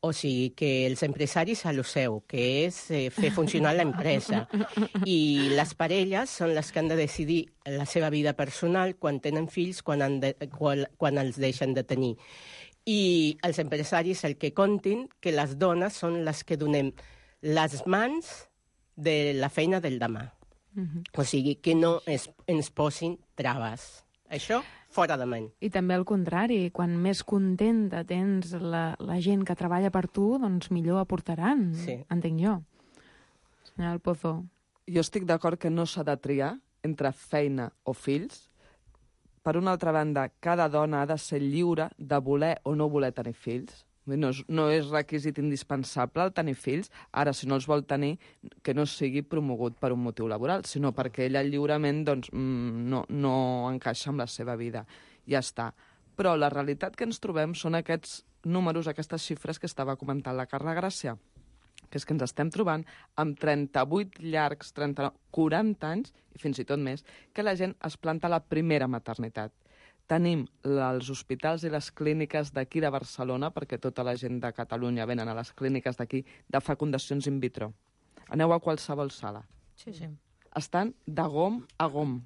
O sigui, que els empresaris a lo seu, que és eh, fer funcionar l'empresa. I les parelles són les que han de decidir la seva vida personal quan tenen fills, quan, han de, quan, quan els deixen de tenir. I els empresaris el que comptin que les dones són les que donem les mans de la feina del demà. Uh-huh. O sigui, que no es, ens posin traves. Això, fora de ment. I també al contrari, quan més contenta tens la, la gent que treballa per tu, doncs millor aportaran, sí. Entenc jo. Senyor Pozo. Jo estic d'acord que no s'ha de triar entre feina o fills. Per una altra banda, cada dona ha de ser lliure de voler o no voler tenir fills. No és, no és requisit indispensable el tenir fills. Ara, si no els vol tenir, que no sigui promogut per un motiu laboral, sinó perquè ella lliurement doncs, no, no encaixa amb la seva vida. Ja està. Però la realitat que ens trobem són aquests números, aquestes xifres que estava comentant la Carla Gràcia, que és que ens estem trobant amb trenta-vuit llargs, trenta, quaranta anys, i fins i tot més, que la gent es planta a la primera maternitat. Tenim els hospitals i les clíniques d'aquí de Barcelona, perquè tota la gent de Catalunya venen a les clíniques d'aquí, de fecundacions in vitro. Aneu a qualsevol sala. Sí, sí. Estan de gom a gom.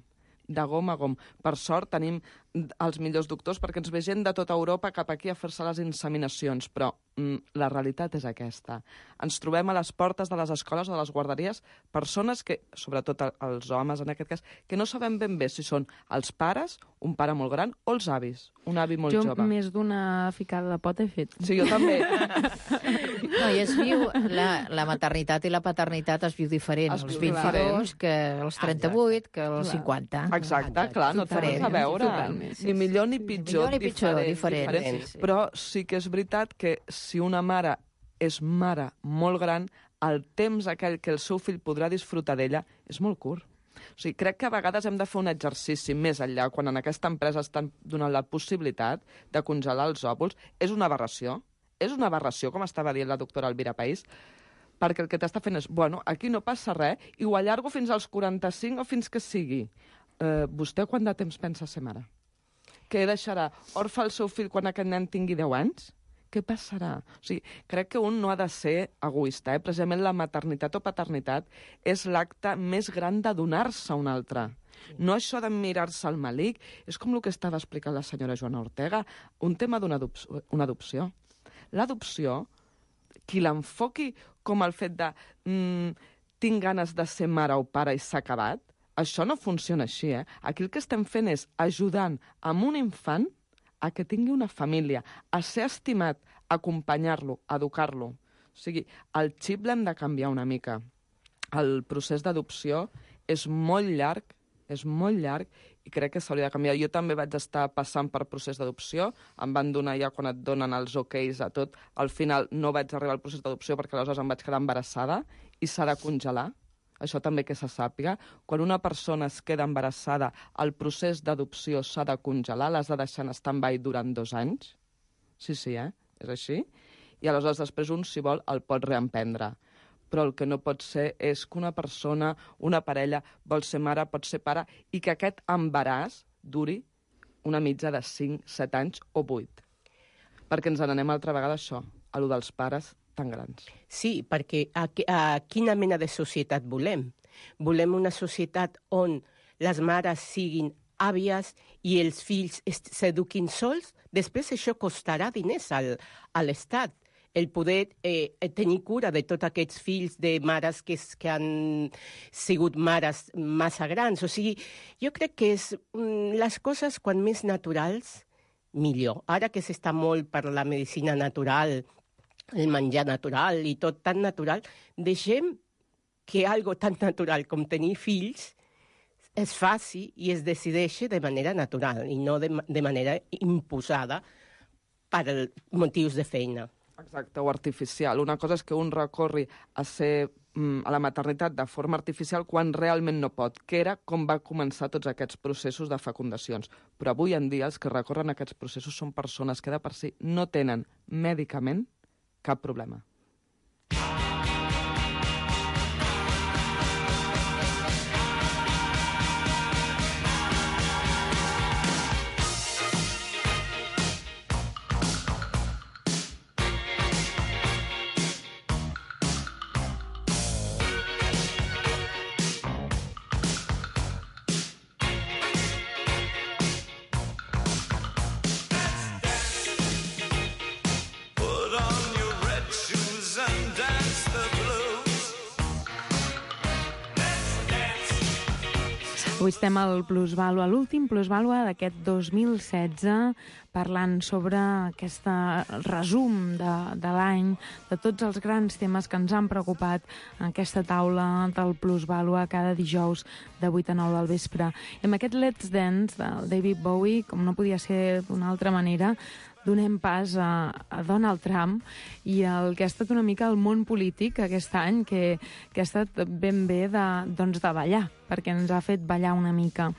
De gom a gom. Per sort tenim els millors doctors perquè ens ve gent de tota Europa cap aquí a fer-se les inseminacions, però mm, la realitat és aquesta. Ens trobem a les portes de les escoles o de les guarderies persones que, sobretot els homes en aquest cas, que no sabem ben bé si són els pares, un pare molt gran, o els avis, un avi molt jo jove. Jo més d'una ficada de pot he fet. Sí, jo també. No, i es viu, la, la maternitat i la paternitat es viu diferent. Es els vint-i-dos que els trenta-vuit, que els cinquanta. Exacte, Exacte. clar, no té res a veure. Ni millor ni pitjor, millor ni pitjor diferent. diferent. diferent. Sí, sí. Però sí que és veritat que si una mare és mare molt gran, el temps aquell que el seu fill podrà disfrutar d'ella és molt curt. O sigui, crec que a vegades hem de fer un exercici més enllà, quan en aquesta empresa estan donant la possibilitat de congelar els òvuls. És una aberració, és una aberració, com estava dient la doctora Elvira País, perquè el que t'està fent és, bueno, aquí no passa res, i ho allargo fins als quaranta-cinc o fins que sigui. Eh, vostè quant de temps pensa ser mare? Què deixarà? Orfe el seu fill quan aquest nen tingui deu anys? Què passarà? O sigui, crec que un no ha de ser egoista. Eh? Precisament la maternitat o paternitat és l'acte més gran de donar-se a un altre. No això de mirar-se al malic. És com el que estava explicant la senyora Joana Ortega. Un tema d'una adopció. Una adopció. L'adopció, qui l'enfoqui com el fet de mm, tinc ganes de ser mare o pare i s'ha acabat, això no funciona així, eh? Aquí el que estem fent és ajudant amb un infant a que tingui una família, a ser estimat, acompanyar-lo, educar-lo. O sigui, el xip l'hem de canviar una mica. El procés d'adopció és molt llarg, és molt llarg, i crec que s'hauria de canviar. Jo també vaig estar passant per procés d'adopció, em van donar ja quan et donen els okais a tot. Al final no vaig arribar al procés d'adopció perquè aleshores em vaig quedar embarassada i s'ha de congelar. Això també que se sàpiga. Quan una persona es queda embarassada, el procés d'adopció s'ha de congelar, l'has de deixar en stand-by durant dos anys. Sí, sí, eh? És així. I aleshores després un, si vol, el pot reemprendre. Però el que no pot ser és que una persona, una parella, vol ser mare, pot ser pare, i que aquest embaràs duri una mitja de cinc, set anys o vuit. Perquè ens n'anem altra vegada a això, a lo dels pares tan grans. Sí, perquè a, a quina mena de societat volem? Volem una societat on les mares siguin àvies i els fills s'eduquin sols? Després això costarà diners al, a l'Estat. El poder eh, tenir cura de tots aquests fills de mares que, que han sigut mares massa grans. O sigui, jo crec que és mm, les coses quan més naturals millor. Ara que s'està molt per la medicina natural, el menjar natural i tot tan natural, deixem que algo tan natural com tenir fills es faci i es decideixi de manera natural i no de, de manera imposada per motius de feina. Exacte, o artificial. Una cosa és que un recorri a ser mm, a la maternitat de forma artificial quan realment no pot, que era com va començar tots aquests processos de fecundacions. Però avui en dia els que recorren a aquests processos són persones que de per si no tenen mèdicament cap problema. Avui estem al Plusvàlua, l'últim Plusvàlua d'aquest dos mil setze, parlant sobre aquest resum de, de l'any, de tots els grans temes que ens han preocupat en aquesta taula del Plusvàlua cada dijous de vuit a nou del vespre. I amb aquest Let's Dance del David Bowie, com no podia ser d'una altra manera, donem pas a, a Donald Trump i el que ha estat una mica el món polític aquest any, que, que ha estat ben bé de, doncs de ballar, perquè ens ha fet ballar una mica.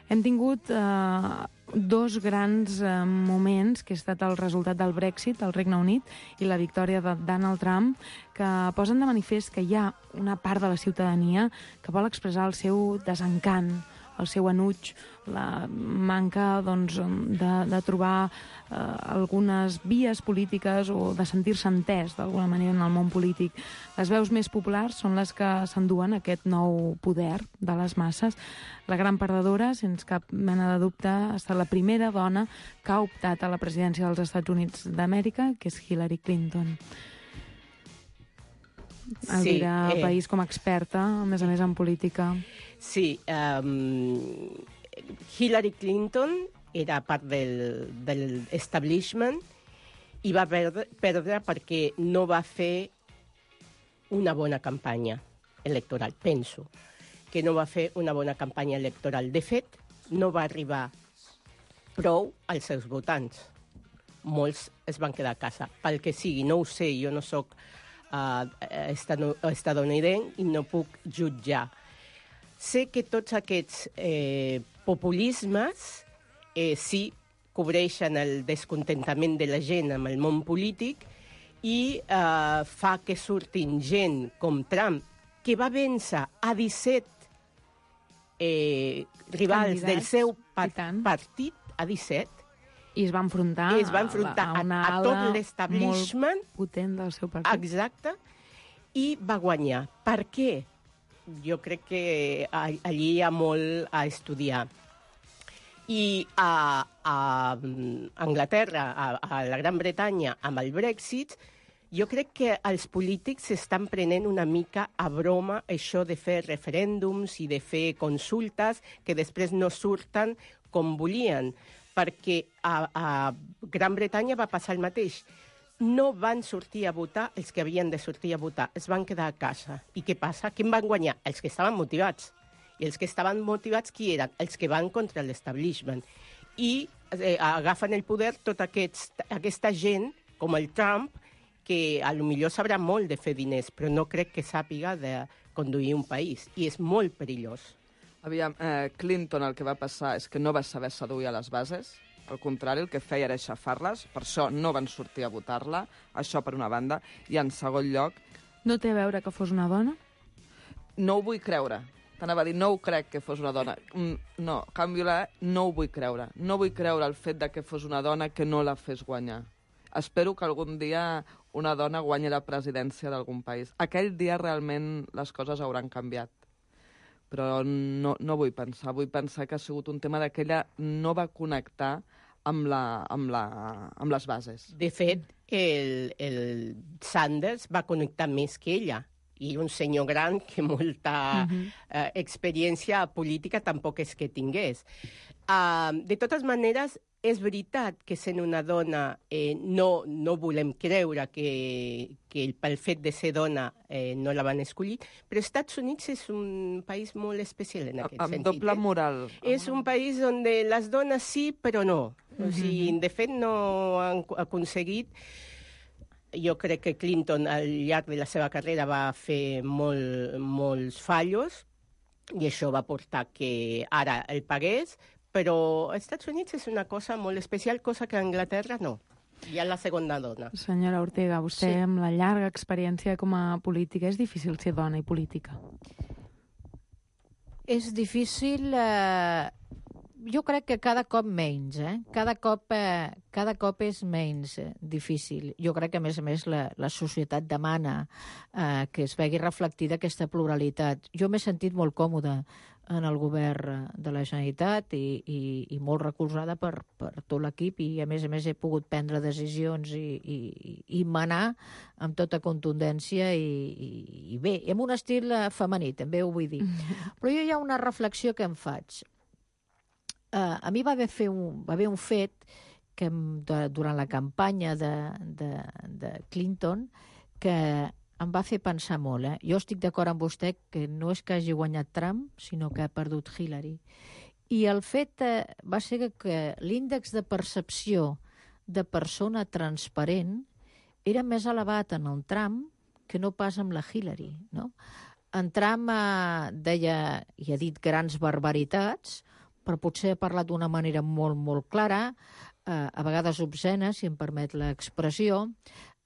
Hem tingut eh, dos grans eh, moments, que ha estat el resultat del Brexit al Regne Unit i la victòria de Donald Trump, que posen de manifest que hi ha una part de la ciutadania que vol expressar el seu desencant, el seu enuig, la manca doncs, de, de trobar eh, algunes vies polítiques o de sentir-se entès d'alguna manera en el món polític. Les veus més populars són les que s'enduen aquest nou poder de les masses. La gran perdedora, sense cap mena de dubte, ha estat la primera dona que ha optat a la presidència dels Estats Units d'Amèrica, que és Hillary Clinton. Elvira, sí, eh... País com a experta, a més a més en política. Sí, um, Hillary Clinton era part del, del establishment i va perdre, perdre perquè no va fer una bona campanya electoral, penso, que no va fer una bona campanya electoral. De fet, no va arribar prou als seus votants. Molts es van quedar a casa. Pel que sigui, no ho sé, jo no sóc uh, estadounidenc i no puc jutjar. Sé que tots aquests eh, populismes eh, sí cobreixen el descontentament de la gent amb el món polític i eh, fa que surtin gent com Trump, que va vèncer a disset eh, rivals Candidats, del seu part partit, a disset, i es va enfrontar, es va enfrontar a, a, a tot l'establishment molt potent del seu partit. Exacte, i va guanyar. Per què? Jo crec que allí hi ha molt a estudiar. I a, a Anglaterra, a, a la Gran Bretanya, amb el Brexit, jo crec que els polítics s'estan prenent una mica a broma això de fer referèndums i de fer consultes que després no surten com volien, perquè a, a Gran Bretanya va passar el mateix. No van sortir a votar els que havien de sortir a votar, es van quedar a casa. I què passa? Qui van guanyar? Els que estaven motivats. I els que estaven motivats, qui eren? Els que van contra l'establishment. I eh, agafen el poder tota aquest, aquesta gent, com el Trump, que a lo millor sabrà molt de fer diners, però no crec que sàpiga de conduir un país. I és molt perillós. Aviam, eh, Clinton el que va passar és que no va saber seduir a les bases. Al contrari, el que feia era aixafar-les, per això no van sortir a votar-la, això per una banda, i en segon lloc... No té a veure que fos una dona? No ho vull creure. T'anava a dir, no ho crec que fos una dona. No, canvio la no ho vull creure. No vull creure el fet de que fos una dona que no la fes guanyar. Espero que algun dia una dona guanyi la presidència d'algun país. Aquell dia realment les coses hauran canviat. Però no, no vull pensar. Vull pensar que ha sigut un tema que ella no va connectar amb, la, amb, la, amb les bases. De fet, el, el Sanders va connectar més que ella. I un senyor gran que molta uh-huh. eh, experiència política tampoc és que tingués. Uh, de totes maneres, és veritat que sent una dona eh, no, no volem creure que, que pel fet de ser dona eh, no la van escollir, però els Estats Units és un país molt especial en aquest amb sentit. Amb doble moral. Eh? És un país on les dones sí, però no. O sigui, de fet, no han aconseguit... Jo crec que Clinton al llarg de la seva carrera va fer molt, molts fallos i això va portar que ara el pagués, però als Estats Units és una cosa molt especial, cosa que a Anglaterra no. Hi ha la segona dona. Senyora Ortega, vostè sí. amb la llarga experiència com a política, és difícil ser dona i política? És difícil... Eh... Jo crec que cada cop menys, eh? Cada cop, eh, cada cop és menys eh, difícil. Jo crec que, a més a més, la, la societat demana eh, que es vegi reflectida aquesta pluralitat. Jo m'he sentit molt còmoda en el govern de la Generalitat i, i, i molt recolzada per, per tot l'equip i, a més a més, he pogut prendre decisions i, i, i manar amb tota contundència i, i, i bé, amb un estil femení, també ho vull dir. Però jo hi ha una reflexió que em faig. Uh, a mi va haver, fer un, va haver un fet que de, durant la campanya de, de, de Clinton que em va fer pensar molt. Eh? Jo estic d'acord amb vostè que no és que hagi guanyat Trump, sinó que ha perdut Hillary. I el fet eh, va ser que, que l'índex de percepció de persona transparent era més elevat en el Trump que no pas amb la Hillary. No? En Trump eh, deia, i ha dit grans barbaritats, però potser ha parlat d'una manera molt, molt clara, eh, a vegades obscena, si em permet l'expressió.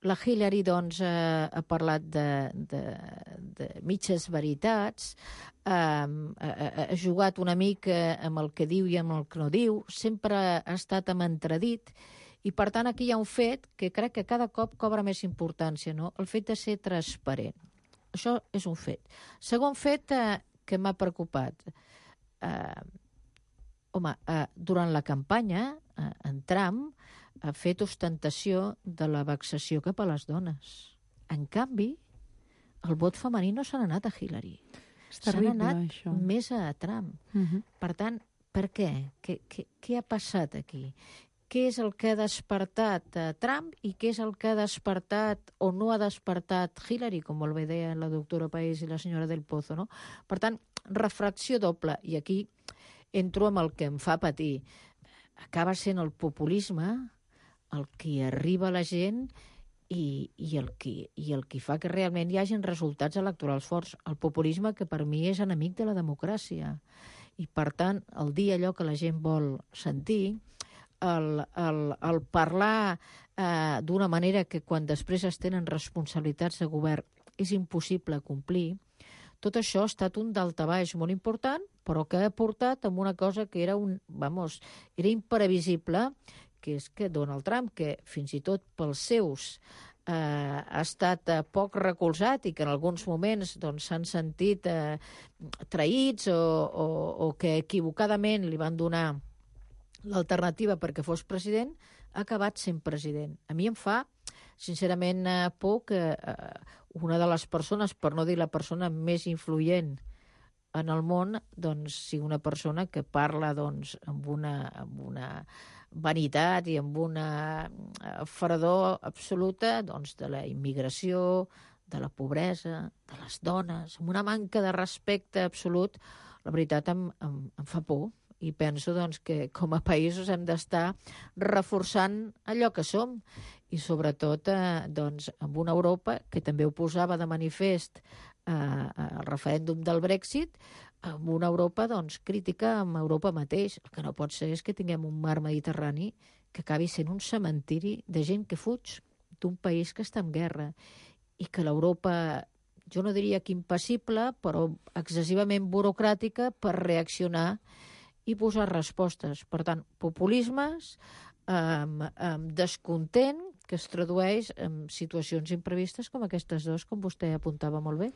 La Hillary, doncs, eh, ha parlat de, de, de mitges veritats, eh, ha, ha jugat una mica amb el que diu i amb el que no diu, sempre ha estat amb entredit, i per tant aquí hi ha un fet que crec que cada cop cobra més importància, no? El fet de ser transparent. Això és un fet. Segon fet eh, que m'ha preocupat. Eh, Home, eh, durant la campanya, eh, en Trump ha fet ostentació de la vexació cap a les dones. En canvi, el vot femení no s'ha anat a Hillary. S'ha anat això. Més a Trump. Uh-huh. Per tant, per què? Què, què? què ha passat aquí? Què és el que ha despertat a Trump i què és el que ha despertat o no ha despertat Hillary, com molt bé deia la doctora País i la senyora Del Pozo, no? Per tant, refracció doble. I aquí entro amb el que em fa patir. Acaba sent el populisme el que arriba a la gent i, i, el que, i el que fa que realment hi hagin resultats electorals forts. El populisme que per mi és enemic de la democràcia. I per tant, el dir allò que la gent vol sentir, el, el, el parlar eh, d'una manera que quan després es tenen responsabilitats de govern és impossible complir, tot això ha estat un daltabaix molt important, però que ha portat a una cosa que era, un, vamos, era imprevisible, que és que Donald Trump, que fins i tot pels seus eh, ha estat eh, poc recolzat i que en alguns moments doncs, s'han sentit eh, traïts o, o, o que equivocadament li van donar l'alternativa perquè fos president, ha acabat sent president. A mi em fa, sincerament, eh, por que eh, una de les persones, per no dir la persona més influent en el món, doncs, sigui una persona que parla doncs, amb, una, amb una vanitat i amb una fredor absoluta doncs, de la immigració, de la pobresa, de les dones, amb una manca de respecte absolut. La veritat em, em, em fa por. I penso doncs, que com a països hem d'estar reforçant allò que som i sobretot eh, doncs, amb una Europa que també ho posava de manifest eh, al referèndum del Brexit, amb una Europa doncs, crítica amb Europa mateix. El que no pot ser és que tinguem un mar Mediterrani que acabi sent un cementiri de gent que fuig d'un país que està en guerra i que l'Europa, jo no diria que impassible, però excessivament burocràtica per reaccionar i posar respostes. Per tant, populismes, eh, eh, descontent, que es tradueix en situacions imprevistes com aquestes dues, com vostè apuntava molt bé.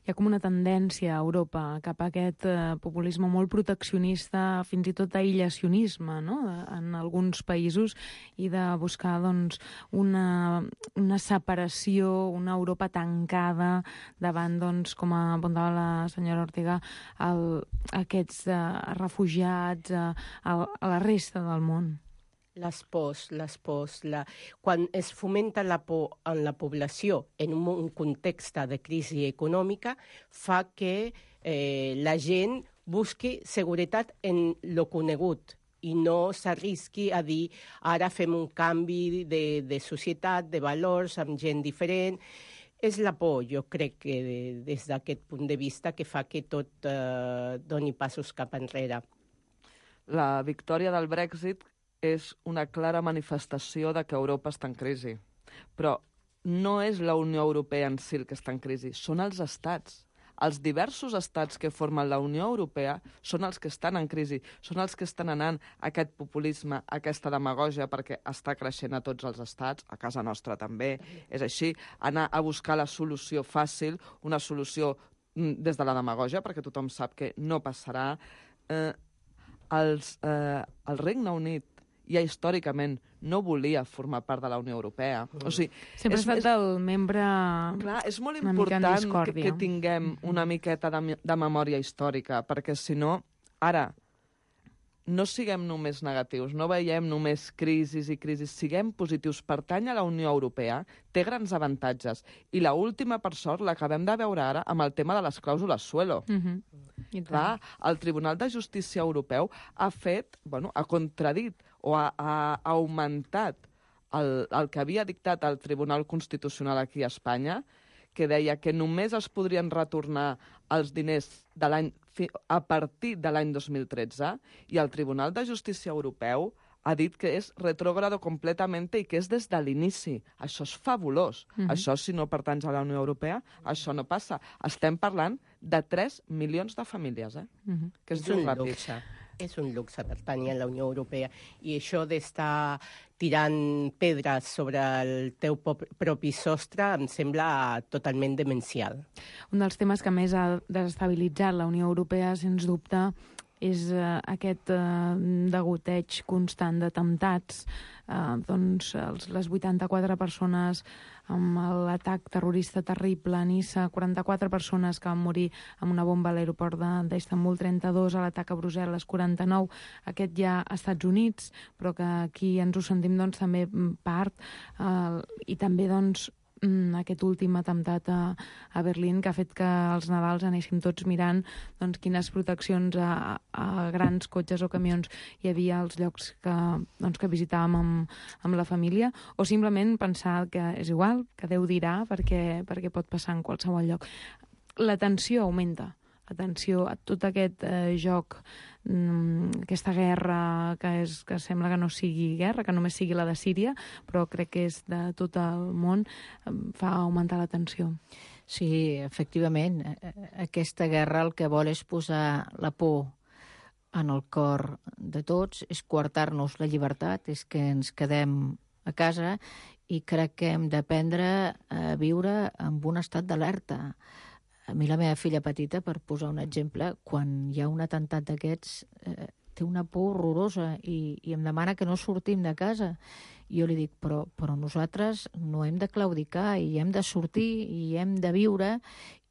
Hi ha com una tendència a Europa cap a aquest eh, populisme molt proteccionista, fins i tot aïllacionisme, no?, en alguns països, i de buscar doncs, una, una separació, una Europa tancada davant, doncs, com apuntava la senyora Ortega, el, aquests eh, refugiats eh, a, a la resta del món. Les pors, les pors. La... Quan es fomenta la por en la població en un, un context de crisi econòmica, fa que eh, la gent busqui seguretat en lo conegut i no s'arrisqui a dir ara fem un canvi de, de societat, de valors, amb gent diferent. És la por, jo crec que de, des d'aquest punt de vista, que fa que tot eh, doni passos cap enrere. La victòria del Brexit és una clara manifestació de que Europa està en crisi. Però no és la Unió Europea en si el que està en crisi, són els estats. Els diversos estats que formen la Unió Europea són els que estan en crisi, són els que estan anant a aquest populisme, a aquesta demagògia, perquè està creixent a tots els estats, a casa nostra també, és així, anar a buscar la solució fàcil, una solució des de la demagògia, perquè tothom sap que no passarà. Eh, els, eh, el Regne Unit ja històricament no volia formar part de la Unió Europea. O sigui, sempre ha estat el membre clar, és molt important que, que tinguem una miqueta de, de memòria històrica, perquè si no, ara, no siguem només negatius, no veiem només crisis i crisis, siguem positius. Pertany a la Unió Europea, té grans avantatges. I l'última, per sort, l'acabem de veure ara amb el tema de les clàusules suelo. Mm-hmm. Clar, el Tribunal de Justícia Europeu ha fet, bueno, ha contradit o ha, ha augmentat el, el que havia dictat el Tribunal Constitucional aquí a Espanya, que deia que només es podrien retornar els diners de l'any a partir de l'any dos mil tretze, i el Tribunal de Justícia Europeu ha dit que és retrògrado completament i que és des de l'inici. Això és fabulós. Mm-hmm. Això, si no pertanys a la Unió Europea, això no passa. Estem parlant de tres milions de famílies, eh? Mm-hmm. Que és, és un ràpid. luxe. És un luxe pertanyir a la Unió Europea. I això d'estar tirant pedres sobre el teu propi sostre em sembla totalment demencial. Un dels temes que més ha desestabilitzat la Unió Europea, sens dubte, és uh, aquest uh, degoteig constant d'atemptats. Uh, doncs els, les vuitanta-quatre persones amb l'atac terrorista terrible a Niça, quaranta-quatre persones que van morir amb una bomba a l'aeroport d'Istanbul, trenta-dos a l'atac a Brussel·les, quaranta-nou, aquest ja a Estats Units, però que aquí ens ho sentim doncs, també part, uh, i també doncs, aquest últim atemptat a, a Berlín, que ha fet que els Nadals anéssim tots mirant doncs, quines proteccions a, a grans cotxes o camions hi havia als llocs que, doncs, que visitàvem amb, amb la família, o simplement pensar que és igual, que Déu dirà, perquè, perquè pot passar en qualsevol lloc. La tensió augmenta. Atenció a tot aquest eh, joc, mm, aquesta guerra que, és, que sembla que no sigui guerra, que només sigui la de Síria, però crec que és de tot el món, eh, fa augmentar la tensió. Sí, efectivament. Aquesta guerra el que vol és posar la por en el cor de tots, és coartar-nos la llibertat, és que ens quedem a casa, i crec que hem d'aprendre a viure amb un estat d'alerta. A mi la meva filla petita, per posar un exemple, quan hi ha un atemptat d'aquests, eh, té una por horrorosa i, i em demana que no sortim de casa. I jo li dic, però, però nosaltres no hem de claudicar i hem de sortir i hem de viure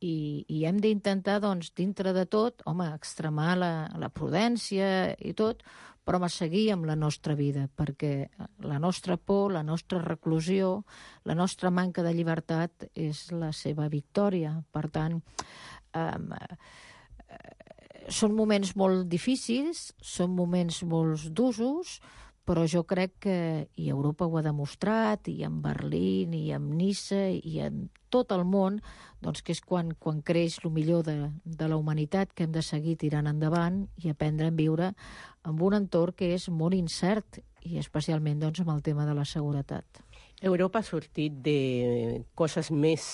i, i hem d'intentar, doncs, dintre de tot, home, extremar la, la prudència i tot, però home, seguir amb la nostra vida, perquè la nostra por, la nostra reclusió, la nostra manca de llibertat és la seva victòria. Per tant, eh, són moments molt difícils, són moments molt d'usos, però jo crec que, i Europa ho ha demostrat, i en Berlín, i en Niça, i en tot el món, doncs que és quan, quan creix el millor de, de la humanitat, que hem de seguir tirant endavant i aprendre a viure en un entorn que és molt incert, i especialment doncs, amb el tema de la seguretat. Europa ha sortit de coses més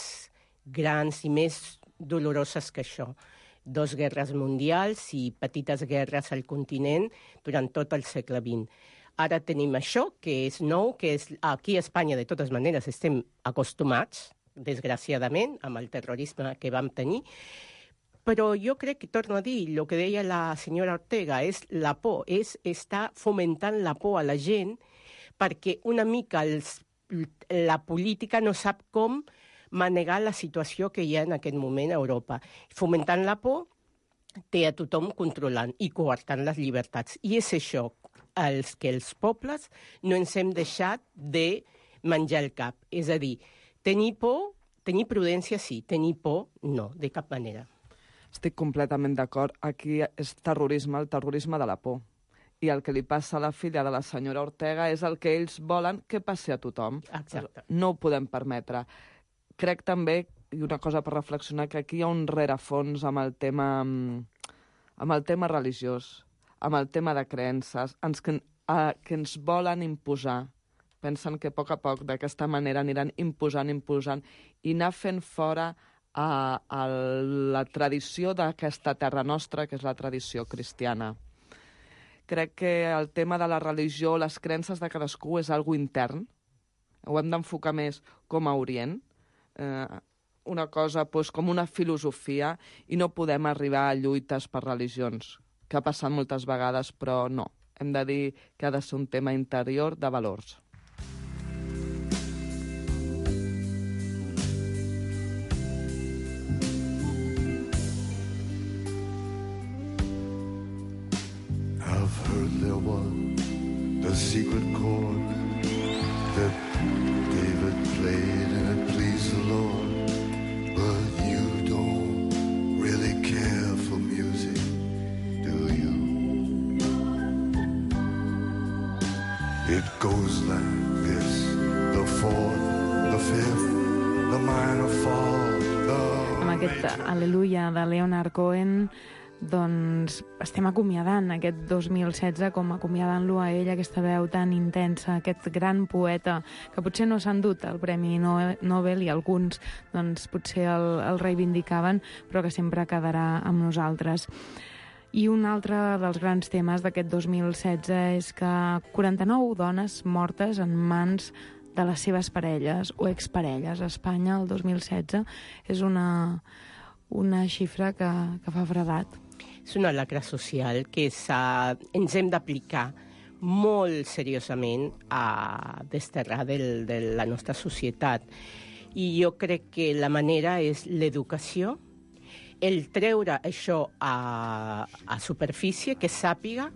grans i més doloroses que això. Dos guerres mundials i petites guerres al continent durant tot el segle vint. Ara tenim això, que és nou, que és, aquí a Espanya, de totes maneres, estem acostumats, desgraciadament, amb el terrorisme que vam tenir, però jo crec que, torno a dir, el que deia la senyora Ortega, és la por, és estar fomentant la por a la gent, perquè una mica els, la política no sap com manegar la situació que hi ha en aquest moment a Europa. Fomentant la por, té a tothom controlant i coartant les llibertats. I és això els que els pobles no ens hem deixat de menjar el cap. És a dir, tenir por, tenir prudència sí, tenir por no, de cap manera. Estic completament d'acord. Aquí és terrorisme, el terrorisme de la por. I el que li passa a la filla de la senyora Ortega és el que ells volen que passi a tothom. Exacte. No ho podem permetre. Crec també, i una cosa per reflexionar, que aquí hi ha un rerefons amb el tema, amb el tema religiós, amb el tema de creences, ens, que, a, que ens volen imposar. Pensen que a poc a poc d'aquesta manera aniran imposant, imposant, i anar fent fora a, a la tradició d'aquesta terra nostra, que és la tradició cristiana. Crec que el tema de la religió, les creences de cadascú és algo intern. Ho hem d'enfocar més com a Orient, eh, una cosa doncs, com una filosofia, i no podem arribar a lluites per religions, que ha passat moltes vegades, però no. Hem de dir que ha de ser un tema interior de valors. I've heard there was a secret chord that David played and it pleased the Lord. But you don't really care for music, do you? It goes like this, the fourth, the fifth, the minor fall, the... Amb aquest Aleluia de Leonard Cohen, doncs estem acomiadant aquest dos mil setze com acomiadant-lo a ell, aquesta veu tan intensa, aquest gran poeta que potser no s'han dut el Premi Nobel i alguns doncs potser el, el reivindicaven, però que sempre quedarà amb nosaltres. I un altre dels grans temes d'aquest dos mil setze és que quaranta-nou dones mortes en mans de les seves parelles o exparelles a Espanya el dos mil setze és una, una xifra que, que fa fredat. És una lacra social que ens hem d'aplicar molt seriosament a desterrar del, de la nostra societat. I jo crec que la manera és l'educació, el treure això a, a superfície, que sàpiga,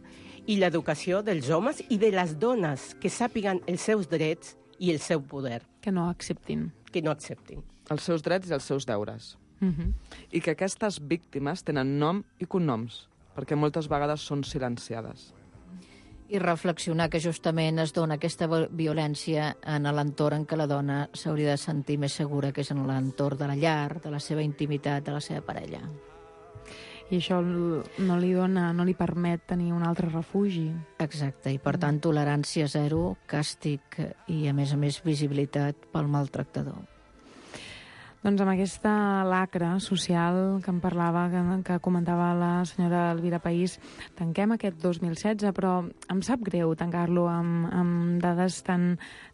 i l'educació dels homes i de les dones, que sàpiguen els seus drets i el seu poder. Que no acceptin. Que no acceptin. Els seus drets i els seus deures. Uh-huh. I que aquestes víctimes tenen nom i cognoms, perquè moltes vegades són silenciades. I reflexionar que justament es dona aquesta violència en l'entorn en què la dona s'hauria de sentir més segura, que és en l'entorn de la llar, de la seva intimitat, de la seva parella. I això no li dona, no li permet tenir un altre refugi. Exacte, i per tant tolerància zero, càstig i a més a més visibilitat pel maltractador. Doncs amb aquesta lacra social que em parlava, que, que comentava la senyora Elvira País, tanquem aquest dos mil setze, però em sap greu tancar-lo amb, amb dades tan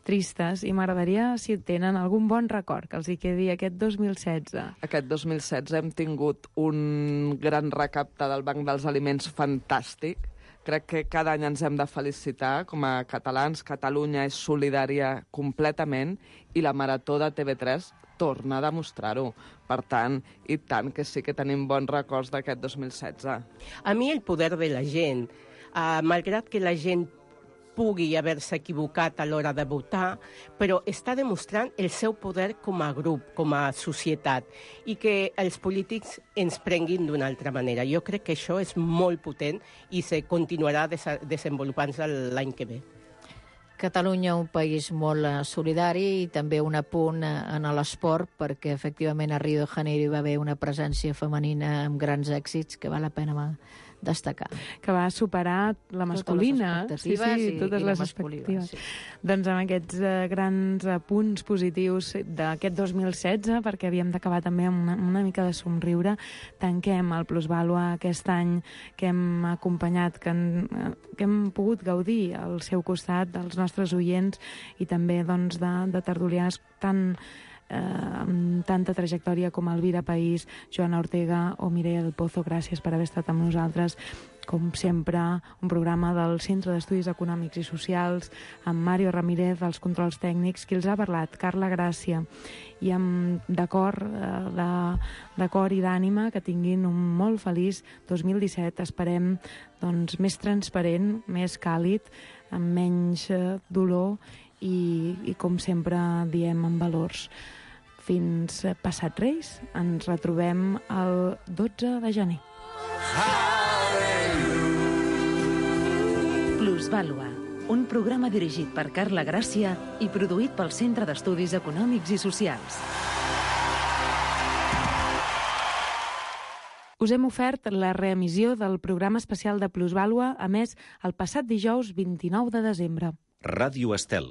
tristes i m'agradaria si tenen algun bon record que els hi quedi aquest dos mil setze. Aquest dos mil setze hem tingut un gran recapte del Banc dels Aliments fantàstic. Crec que cada any ens hem de felicitar com a catalans. Catalunya és solidària completament i la Marató de T V tres torna a demostrar-ho. Per tant, i tant que sí que tenim bons records d'aquest dos mil setze. A mi el poder de la gent, uh, malgrat que la gent pugui haver-se equivocat a l'hora de votar, però està demostrant el seu poder com a grup, com a societat, i que els polítics ens prenguin d'una altra manera. Jo crec que això és molt potent i se continuarà des desenvolupant-se l'any que ve. Catalunya, un país molt solidari i també un apunt en l'esport, perquè efectivament a Rio de Janeiro hi va haver una presència femenina amb grans èxits que val la pena destacar. Que va superar la masculina. Totes les expectatives sí, sí, totes i, i les la masculina. Sí. Doncs amb aquests eh, grans eh, punts positius d'aquest dos mil setze, perquè havíem d'acabar també amb una, una mica de somriure, tanquem el Plusvàlua aquest any que hem acompanyat, que, en, que hem pogut gaudir al seu costat, dels nostres oients i també doncs, de, de tertulians tan Eh, amb tanta trajectòria com Elvira País, Joana Ortega o Mireia del Pozo. Gràcies per haver estat amb nosaltres. Com sempre, un programa del Centre d'Estudis Econòmics i Socials, amb Mario Ramírez, als controls tècnics, qui els ha parlat, Carla Gràcia, i amb d'acord eh, de, de cor i d'ànima, que tinguin un molt feliç dos mil disset. Esperem doncs, més transparent, més càlid, amb menys dolor i, i com sempre diem, amb valors. Fins passat Reis, ens retrobem el dotze de gener. Plusvàlua, un programa dirigit per Carla Gràcia i produït pel Centre d'Estudis Econòmics i Socials. Us hem ofert la reemissió del programa especial de Plusvàlua, a més, el passat dijous vint-i-nou de desembre. Ràdio Estel,